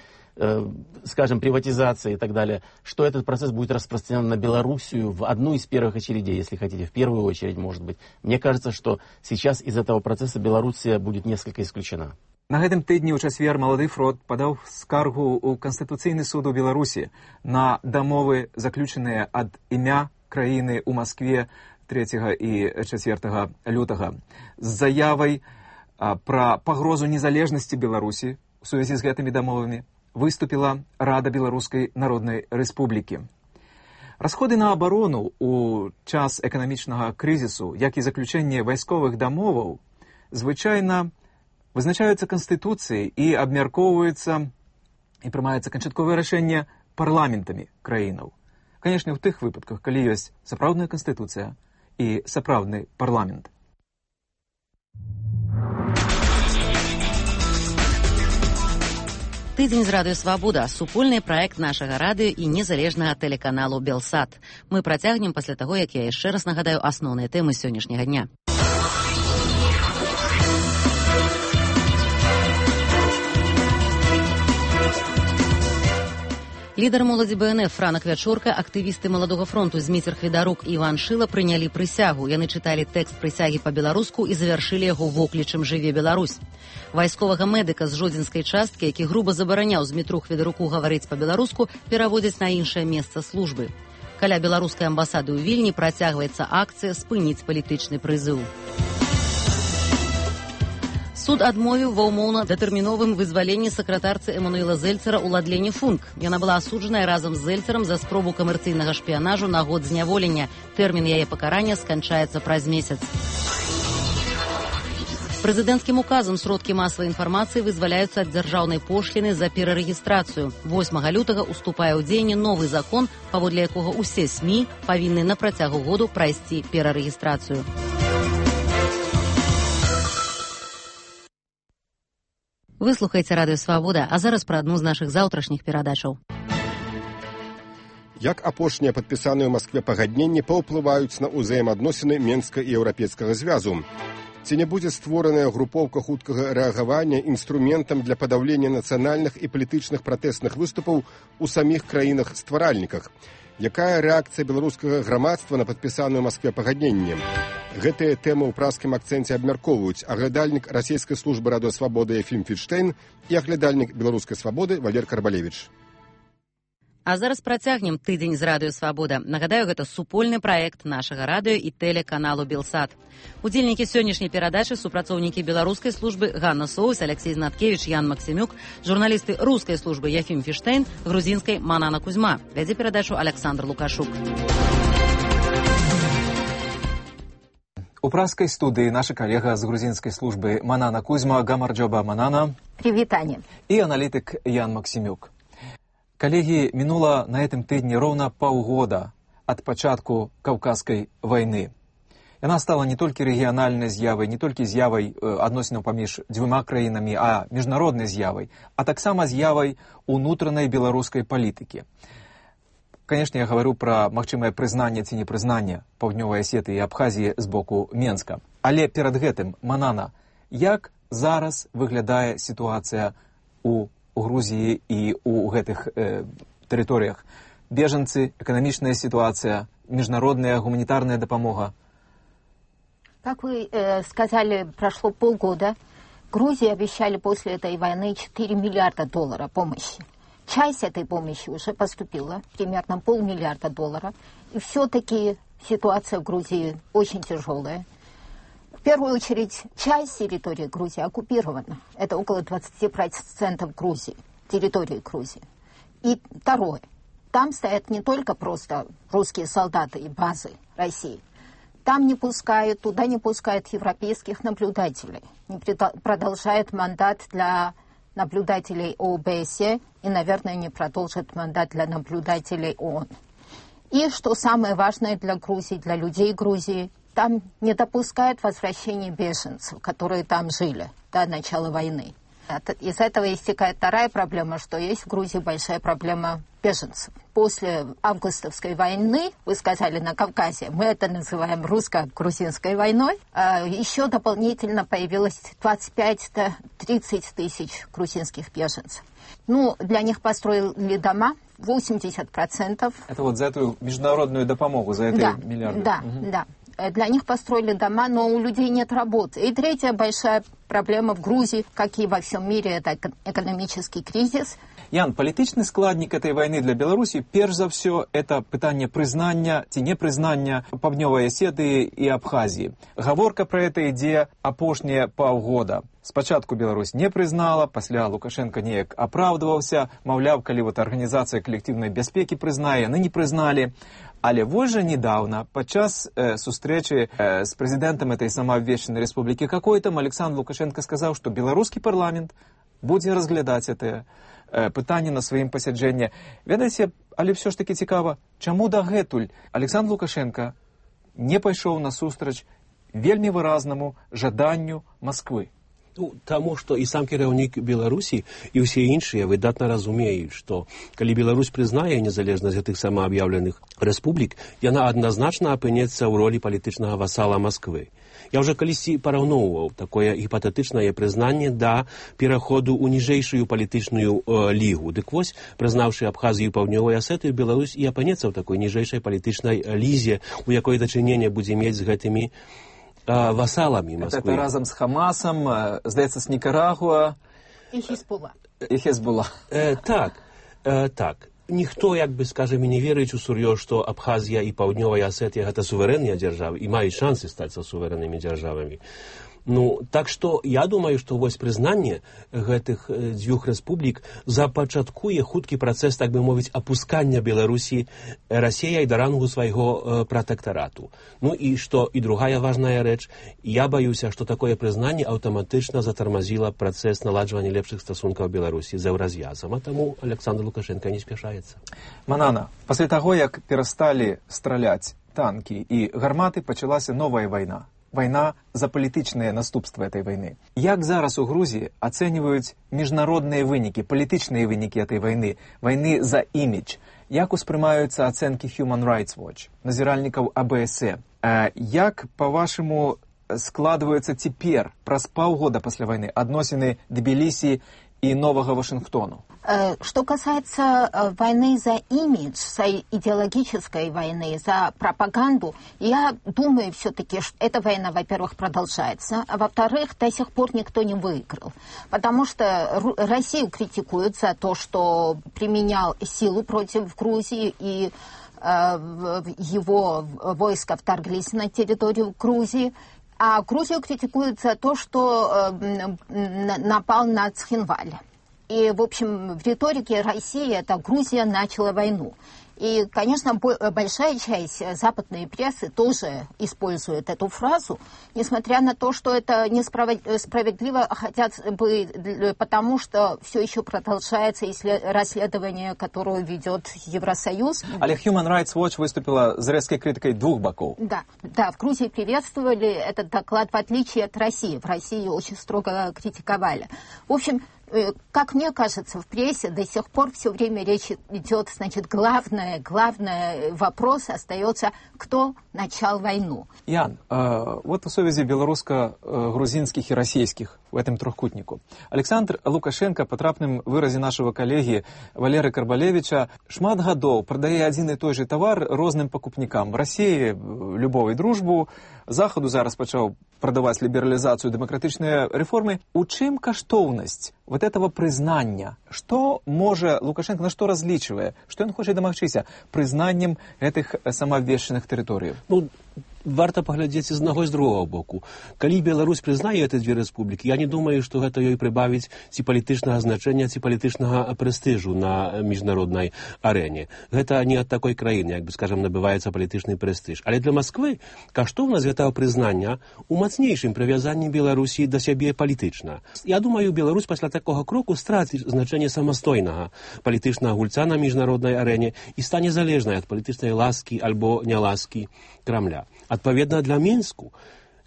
скажем, приватизации и так далее, что этот процесс будет распространен на Белоруссию в одну из первых очередей, если хотите, в первую очередь, может быть. Мне кажется, что сейчас из этого процесса Белоруссия будет несколько исключена. На гэтым тыдні ў чацвер Малады фронт падаў скаргу ў Канстытуцыйны суд у Беларусі на дамовы, заключаныя ад імя краіны ў Маскве 3 і 4 лютага з заявай пра пагрозу незалежнасці Беларусі у сувязі з гэтымі дамовамі выступила Рада Белорусской Народной Республики. Расходы на оборону у час экономічнага кризису, як і заключение войсковых домоваў, звычайна вызначаюцца Конституцией и абмяркоўваюцца и прымаецца канчатковае рашэнне парламентамі краінаў. Конечно, у тых выпадках, калі ёсць сапраўдная Конституция и сапраўдны парламент. Тыдзень з радыё «Свабода» – супольны праект нашага радыё і незалежнага тэлеканалу «Белсат». Мы працягнем пасля таго, як я яшчэ раз нагадаю асноўныя тэмы сённяшняга дня. Лідар моладзі БНФ Франак Вячорка, актывісты Маладога фронту Зміцер Хведарук і Іван Шыла прынялі прысягу. Яны чыталі тэкст прысягі па-беларуску і завяршылі яго воклічам «Жыве Беларусь». Вайсковага медыка з жодзінскай часткі, які груба забараняў Змітру Хведаруку гаварыць па-беларуску, пераводзяць на іншае месца службы. Каля беларускай амбасады ў Вільні працягваецца акцыя «Спыніць палітычны прызыў». Суд адмовіў ва ўмоўна-датэрміновым вызваленні сакратарцы Эмануэла Зельцера Уладлені Функ. Яна была асуджаная разам з Зельцерам за спробу камерцыйнага шпіянажу на год зняволення. Тэрмін яе пакарання сканчаецца праз месяц. Прэзідэнцкім указам сродкі масавай інфармацыі вызваляюцца ад дзяржаўнай пошліны за перарэгістрацыю. 8 лютага уступае ў дзеянне новы закон, паводле якога ўсе СМІ павінны на працягу году прайсці перарэгістрацыю. Вы слухаеце Радыё Свабода, а зараз пра адну з нашых заўтрашніх перадачаў. Як апошнія падпісаныя ў Маскве пагадненні паўплываюць на ўзаемаадносіны Менска і Еўрапейскага звязу? Ці не будзе створаная групоўка хуткага рэагавання інструментам для падаўлення нацыянальных і палітычных пратэстных выступаў у саміх краінах-стваральніках? Якая рэакцыя беларускага грамадства на падпісаныя ў Маскве пагадненні? Гэтыя тэмы ў праскім акцэнце абмяркоўваюць аглядальнік расійскай службы радыёсвабоды Ефім Фільштейн і аглядальнік беларускай свабоды Валер Карбалевіч. А зараз працягнем тыдзень з Радыё Свабода. Нагадаю, гэта супольны праект нашага радыё і тэлеканалу Белсат. Удзельнікі сённяшняй перадачы супрацоўнікі беларускай службы Ганна Соус, Алексей Знаткевич, Ян Максімюк, журналісты рускай службы Ефім Фільштейн, грузінскай Манана Кузьма. Вядзе перадачу Александр Лукашук. У праскай студыі наша калега з грузінскай службы Манана Кузьма, Гамарджоба Манана. Привітанне. І аналітык Ян Максімюк. Коллеги, минуло на этом тыдне ровно полгода от початку Кавказской войны. Она стала не только региональной з'явой, не только з'явой адносінаў паміж двумя краінамі, а міжнароднай з'явой, а таксама з'явой унутранай беларускай палітыкі. Конечно, я говорю про магчымае прызнанне ці непрызнанне Паўднёвай Асетыі і Абхазіі з боку Менска. Але перад гэтым, Манана, як зараз выглядае сітуацыя у Грузии и у гэтых территориях? Беженцы, экономичная ситуация, международная гуманитарная допомога. Как вы сказали, прошло полгода. Грузии обещали после этой войны 4 миллиарда долларов помощи. Часть этой помощи уже поступила, примерно $500 миллиона. И все-таки ситуация в Грузии очень тяжелая. В первую очередь, часть территории Грузии оккупирована. Это около 20% Грузии, территории Грузии. И второе. Там стоят не только просто русские солдаты и базы России. Там не пускают, туда не пускают европейских наблюдателей. Не продолжают мандат для наблюдателей ОБСЕ и, наверное, не продолжат мандат для наблюдателей ООН. И, что самое важное для Грузии, для людей Грузии, там не допускают возвращения беженцев, которые там жили до начала войны. Из этого истекает вторая проблема, что есть в Грузии большая проблема беженцев. После августовской войны, вы сказали, на Кавказе, мы это называем русско-грузинской войной, еще дополнительно появилось 25-30 тысяч грузинских беженцев. Ну, для них построили дома, 80%. Это вот за эту международную допомогу, за эти миллиарды? Да, да. Для них построили дома, но у людей нет работы. И третья большая проблема в Грузии, как и во всем мире, это экономический кризис. Ян, палітычны складнік этой войны для Беларусі, перш за все, это пытанне прызнання ці непрызнання Паўднёвай Асетыі і Абхазіі. Гаворка про это ідзе апошнія паўгода. Спачатку Беларусь не прызнала, пасля Лукашенко неяк апраўдваўся, маўляў, калі вот арганізацыя калектыўнай бяспекі прызнае, яны не прызналі. Але вось жа недавно, падчас сустрэчы з прэзідэнтам этой самаабвешчанай рэспублікі какой-там, Александр Лукашенко сказаў, што беларускі парламент будзе разглядаць это пытанне на сваім пасяджэнні. Ведаеце, але ўсё ж таки цікава, чаму дагэтуль Александр Лукашенко не пайшоў насустрач вельмі выразнаму жаданню Москвы? Ну, таму, што і сам кіраўнік Беларусі і ўсе іншыя выдатна разумеюць, што калі Беларусь прызнае незалежнасць гэтых самааб'яўленых рэспублік, яна адназначна апынецца ў ролі палітычнага васала Москвы. Я ўжо калісьці параўноўваў такое гіпатэтычнае прызнанне да пераходу ў ніжэйшую палітычную лігу. Дык вось, прызнаўшы Абхазію і Паўднёвую Асетыю, Беларусь і апынецца ў такой ніжэйшай палітычнай лізе, у якой дачыненне будзе мець з гэтымі васалами Москвы. Это разом с Хамасом, здаецца, с Никарагуа. И Хезболла. И Хезболла. Так. Ніхто, як бы, скажем, не верыць у сур'ёз, што Абхазія і Паўднёвая Асетыя гэта суверэнныя дзяржавы і маюць шансы стаць суверэннымі дзяржавамі. Ну, так што я думаю, што вось прызнанне гэтых дзвюх рэспублік запачаткуе хуткі працэс, так бы мовіць, апускання Беларусі Расіяй да рангу свайго пратэктарату. Ну і што, і другая важная рэч, я баюся, што такое прызнанне аўтаматычна затармазіла працэс наладжвання лепшых стасункаў Беларусі з Еўраз'язам, а таму Александр Лукашенко не спяшаецца. Манана, пасля таго, як перасталі страляць танкі і гарматы, пачалася новая вайна. Война за палітычныя наступствы этой войны. Як зараз у Грузіі ацэньваюць міжнародныя вынікі, палітычныя вынікі этой войны, войны за імідж? Як успрымаюцца ацэнкі Human Rights Watch, назіральнікаў АБС? Як, па-вашаму, складваюцца цяпер, праз паўгода пасля войны, адносіны Тбілісі и Нового Вашингтона? Что касается войны за имидж, за идеологической войны, за пропаганду, я думаю все-таки, что эта война, во-первых, продолжается, а во-вторых, до сих пор никто не выиграл. Потому что Россию критикуют за то, что применял силу против Грузии, и его войска вторглись на территорию Грузии. А Грузию критикуют за то, что напал на Цхинваль. И, в общем, в риторике России это Грузия начала войну. И, конечно, большая часть западной прессы тоже использует эту фразу, несмотря на то, что это несправедливо, хотят бы, потому что все еще продолжается расследование, которое ведет Евросоюз. Але Human Rights Watch выступила с резкой критикой двух боков. Да, в Грузии приветствовали этот доклад, в отличие от России. В России очень строго критиковали. В общем, как мне кажется, в прессе до сих пор все время речь идет, значит, главный вопрос остается, кто начал войну. Ян, вот в сувязі белорусско-грузинских и российских в этом трехкутнику. Александр Лукашенко, по трапным выразе нашего коллеги Валеры Карбалевича, шмат гадоў продае один и той же товар розным покупникам. В России любовь и дружбу, Заходу зараз пачаў продаваць либерализацию, демократичные реформы. У чым каштоўнасць вот этого признания? Что може Лукашенко, на что различивая? Что он хочет домагчыся признаннем этих самообвешчаных территорий? Ну, варта паглядзець з одного і з другого боку. Калі Беларусь прызнае эти две рэспублікі, я не думаю, што гэта ёй прыбавіць ці палітычнага значэння, ці палітычнага прэстыжу на міжнароднай арэне. Гэта не ад такой краіны, як бы, скажем, набываецца палітычны прэстыж. Але для Москвы каштоўнасць гэтага прызнання у мацнейшым прывязанні Беларусі да сябе палітычна. Я думаю, Беларусь пасля такога кроку страціць значэнне самастойнага палітычнага гульца на міжнароднай арэне і стане залежнай ад палітычнай ласкі альбо няласкі Крамля. Адпаведна для Мінску,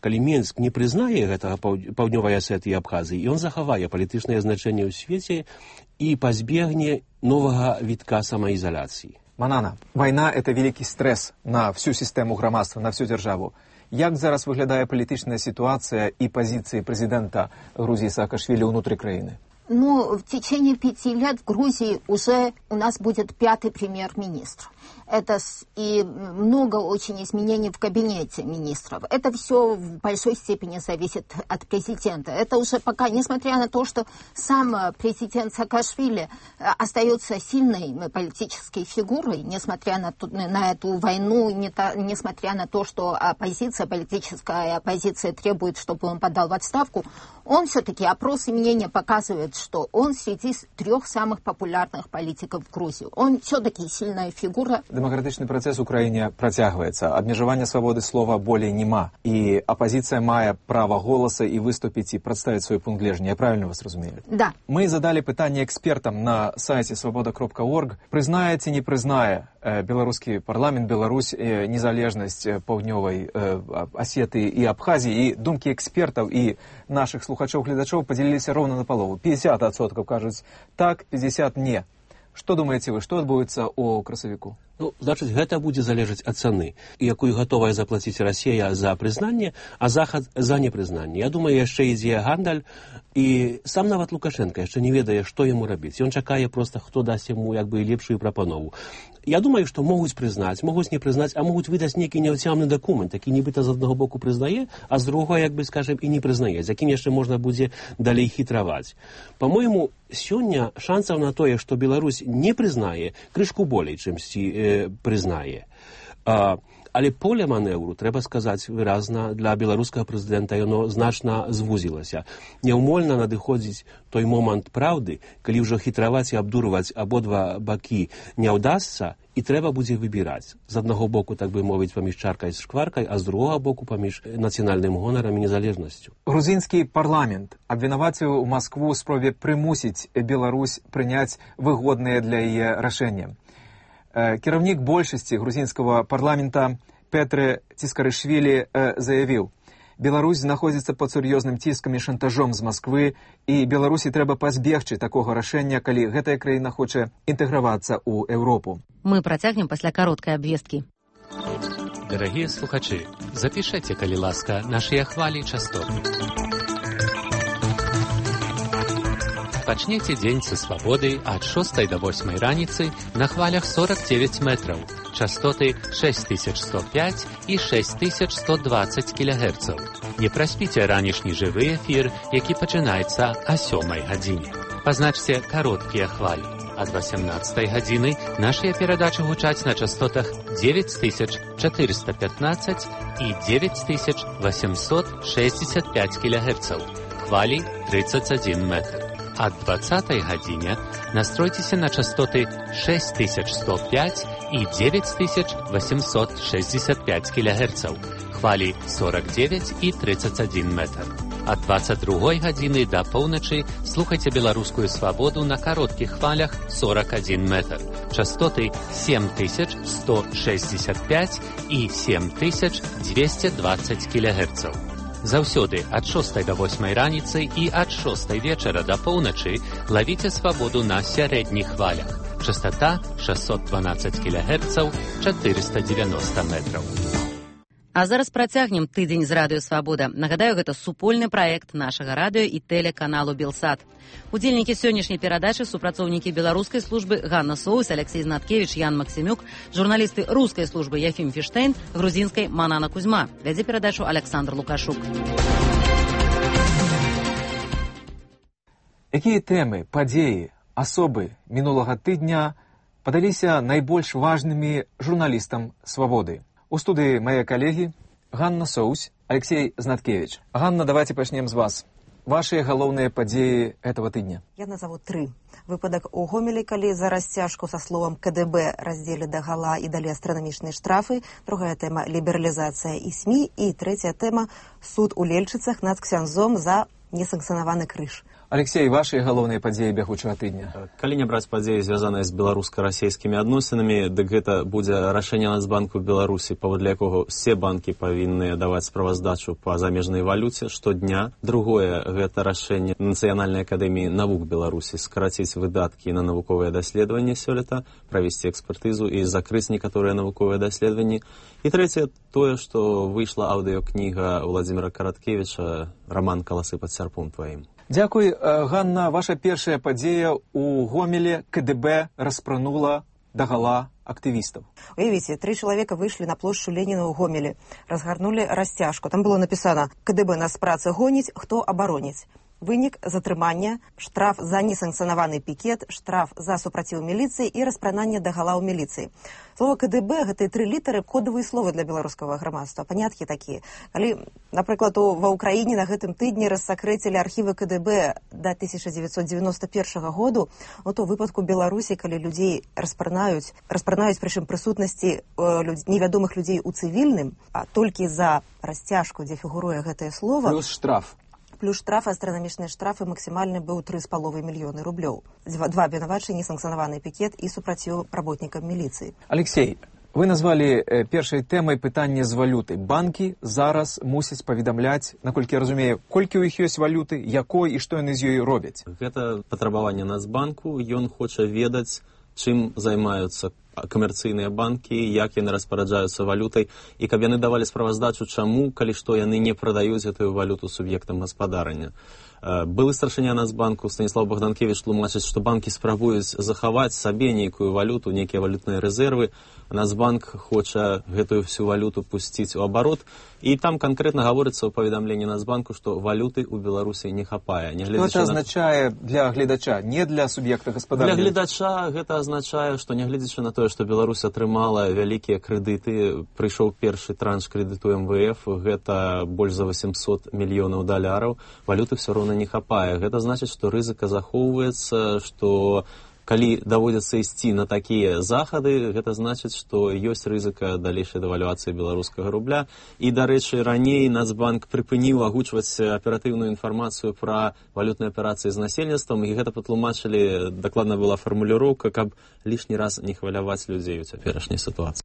калі Мінск не прызнае гэтага паўднёвай Асетыі і Абхазіі, ён захавае палітычнае значэнне ў свеце і пазбегне новага вітка самаізаляцыі. Манана, вайна – это великий стресс на всю систему грамадства, на всю державу. Як зараз выглядае палітычная ситуация и позиции президента Грузии Саакашвили внутри краины? Ну, в течение 5 лет в Грузии уже у нас будет 5-й премьер-министр. Это и много очень изменений в кабинете министров. Это все в большой степени зависит от президента. Это уже пока, несмотря на то, что сам президент Саакашвили остается сильной политической фигурой, несмотря на эту войну, несмотря на то, что политическая оппозиция требует, чтобы он подал в отставку, он все-таки, опросы мнения показывают, что он среди 3 самых популярных политиков в Грузии. Он все-таки сильная фигура. Демократичный процесс в Украине протягивается. Обмежевания свободы слова более нема. И оппозиция мае право голоса и выступить, и представить свой пункт гледжання. Я правильно вас разумею? Да. Мы задали питание экспертам на сайте свобода.орг. Признае ці не признае белорусский парламент, Беларусь, незалежность паўднёвай Осетии и Абхазии. И думки экспертов и наших слухачоў-гледачоў поделились ровно на полову. 50% кажуць так, 50% не. Что думаете вы, что адбудзецца у красавіку? Ну, значыць, гэта будзе залежаць ад цаны, якую гатовая заплаціць Расія за прызнанне, а Захад за непрызнанне. Я думаю, яшчэ ідзе гандаль, і сам нават Лукашенко яшчэ не ведае, што яму рабіць. Ён чакае проста, хто дасць яму як бы лепшую прапанову. Я думаю, што могуць прызнаць, могуць не прызнаць, а могуць выдаць нейкі няўцямны дакумент, які нібыта з аднаго боку прызнае, а з другого, як бы, скажем, і не прызнае, з якім яшчэ можна будзе далей хітраваць. По-моему, сёння шансаў на тое, што Беларусь не прызнае, крышку болей, чымсьці прызнае. Але поле маневру, трэба сказаць выразна, для беларускага прэзідэнта яно значна звузілася. Няўмольна надыходзіць той момант праўды, калі ўжо хітраваць і абдурваць абодва бакі не ўдасца, і трэба будзе выбіраць. З аднаго боку, так бы мовіць, паміж чаркай і шкваркай, а з другога боку паміж нацыянальным гонарам і незалежнасцю. Грузінскі парламент абвінаваціў Маскву ў спробе прымусіць Беларусь прыняць выгодныя для яе рашэнні. Кіраўнік большасці грузінскага парламента Петре Ціскарышвілі заявіў: Беларусь знаходзіцца пад сур'ёзным ціскам і шантажом з Масквы, і Беларусі трэба пазбегчы такога рашэння, калі гэтая краіна хоча інтэгравацца ў Еўропу. Мы працягнем пасля кароткай абвесткі. Дарагія слухачы, запішайце, калі ласка, нашыя хвалі частот. Пачнеце дзень са свабоды ад 6 до 8 раніцы на хвалях 49 метраў, частоты 6105 і 6120 кГц. Не праспіце ранішні жывы эфір, які пачынаецца о 7 гадзіне. Пазначце кароткія хвалі. Ад 18 гадзіны нашыя перадачы гучаць на частотах 9415 і 9865 кГц. Хвалі 31 метр. Ад 20 гадзіне настройцеся на частоты 6105 і 9865 кГц. Хвалі 49 і 31 метр. Ад 22 гадзіны да поўначы слухайце беларускую свабоду на кароткіх хвалях 41 метр. Частоты 7165 і 7220 кГц. Заўсёды ад 6 до 8 раніцы і ад 6 вечара да поўначы лавіце свабоду на сярэдніх хвалях. Частота 612 кГц, 490 метраў. А зараз працягнем тыдзень з радыё «Свабода». Нагадаю, гэта супольны праект нашага радыё і тэлеканалу «Белсат». Удзельнікі сённяшняй перадачы супрацоўнікі беларускай службы Ганна Соус, Алексей Знаткевич, Ян Максимюк, журналісты рускай службы Яфім Фіштейн, грузінскай Манана Кузьма. Вядзе перадачу Александр Лукашук. Якія тэмы, падзеі, асобы мінулага тыдня падаліся найбольш важнымі журналістам «Свабоды»? У студии мои коллеги Ганна Соус, Алексей Знаткевич. Ганна, давайте начнем с вас. Ваши головные подеи этого тыдня. Я назову 3. Выпадок у Гомелі, калі за расцяжку со словом КДБ раздзелі дагала і далі астранамічныя штрафы. Другая тэма – лібералізацыя і СМІ. І третья тэма – суд у Лельчыцах над ксяндзом за несанкцыянаваны крыж. Алексей, ваши галоўныя падзеі бягучага тыдня. Калі не браць падзеі, звязаныя з беларуска-расійскімі адносінамі, дык гэта будзе рашэнне Нацбанку Беларусі, паводле якога ўсе банкі павінны даваць справаздачу па замежнай валюце штодня. Другое, гэта рашэнне Нацыянальнай акадэміі навук Беларусі скараціць выдаткі на навуковыя даследаванні сёлета, правесці экспертызу і закрыць некаторыя навуковыя даследаванні. І трэцяе, тое, што выйшла аўдыёкніга Владзіміра Караткевіча «Раман «Каласы пад сярпом тваім». Дзякуй, Ганна. Ваша першая падзея у Гомелі. КДБ распранула дагала актывістаў. Уявіце, 3 чалавека выйшлі на плошчу Леніна ў Гомелі, разгарнулі расцяжку. Там было напісана: КДБ нас працы гоніць, хто абароніць. Вынік затрымання, штраф за несанкцыянаваны пікет, штраф за супраціў міліцыі і распрананне дагала ў міліцыі. Слова КДБ, гэтыя 3 літары, кодавыя словы для беларускага грамадства, паняткі такія. Калі, напрыклад, ва ўкраіне на гэтым тыдні рассакрэцілі архівы КДБ да 1991 году, то ў выпадку Беларусі, калі людзей распранаюць прычым прысутнасці невядомых людзей у цывільным, а толькі за расцяжку, дзе фігуруе гэтае слово... Плюс штраф. Плюс штраф, астранамічныя штрафы максімальны быў 3,5 мільёны рублёў. 2 абвінавачанні, несанкцыянаваны пікет і супраціў работнікам міліцыі. Алексей, вы назвалі першай тэмай пытанне з валюты. Банкі зараз мусяць паведамляць, наколькі я разумею, колькі ў іх ёсць валюты, якой і што яны з ёй робяць. Гэта патрабаванне Нацбанку, ён хоча ведаць, чым займаюцца камерцыйныя банкі, як яны распараджаюцца валютай, і каб яны давалі справаздачу, чаму, калі што яны не прадаюць гэтую валюту суб'ектам гаспадарання. Былы старшыня Нацбанку Станіслав Богданкевіч тлумачыць, што банкі спрабуюць захаваць сабе нейкую валюту, нейкія валютныя рэзервы. Нацбанк хоча гэтую всю валюту пусціць у абарот, і там канкрэтна гаворыцца ў паведамленні Нацбанку, што валюты ў Беларусі не хапае. Што гэта азначае для гледача, не для суб'екта гаспадарання? Для гледача гэта азначае, што нягледзячы на тое, што Беларусь атрымала вялікія крэдыты, прыйшоў першы транш крэдыту МВФ, гэта больш за 800 мільёнаў даляраў, валюты ўсё роўна не хапае. Гэта значыць, што рызыка захоўваецца, што калі даводзіцца ісці на такія захады, гэта значыць, што ёсць рызыка далейшай дэвальвацыі беларускага рубля. І, дарэчы, раней Нацбанк прыпыніў агучваць аператыўную інфармацыю пра валютныя аперацыі з насельніцтвам, і гэта патлумачылі, дакладна была фармуліроўка, каб лішні раз не хваляваць людзей у цяперашняй сітуацыі.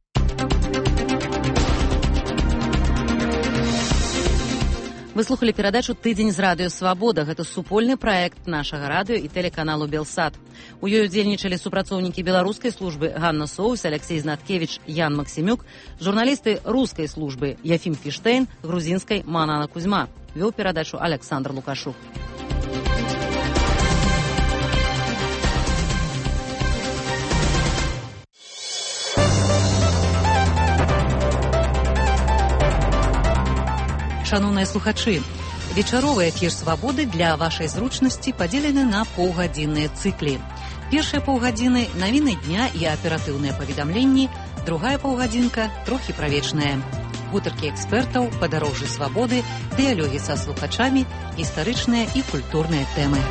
Вы слухали перадачу «Тыдзень з радыё Свабода». Гэта супольны праект нашага радыё і тэлеканалу «Белсат». У ёй удзельнічалі супрацоўнікі беларускай службы Ганна Соус, Алексей Знаткевич, Ян Максімюк, журналісты рускай службы Яфім Фіштейн, грузінскай Манана Кузьма. Вёў перадачу Александр Лукашук. Шановныя слухачы, вечаровы эфір «Свабоды» для вашай зручнасці падзелены на паўгадзінныя цыклі. Першыя паўгадзіны – навіны дня і аператыўныя паведамленні, другая паўгадзінка – трохі правечная. Гутаркі экспертаў, падарожжы свабоды, дыялогі са слухачамі, гістарычныя і культурныя тэмы.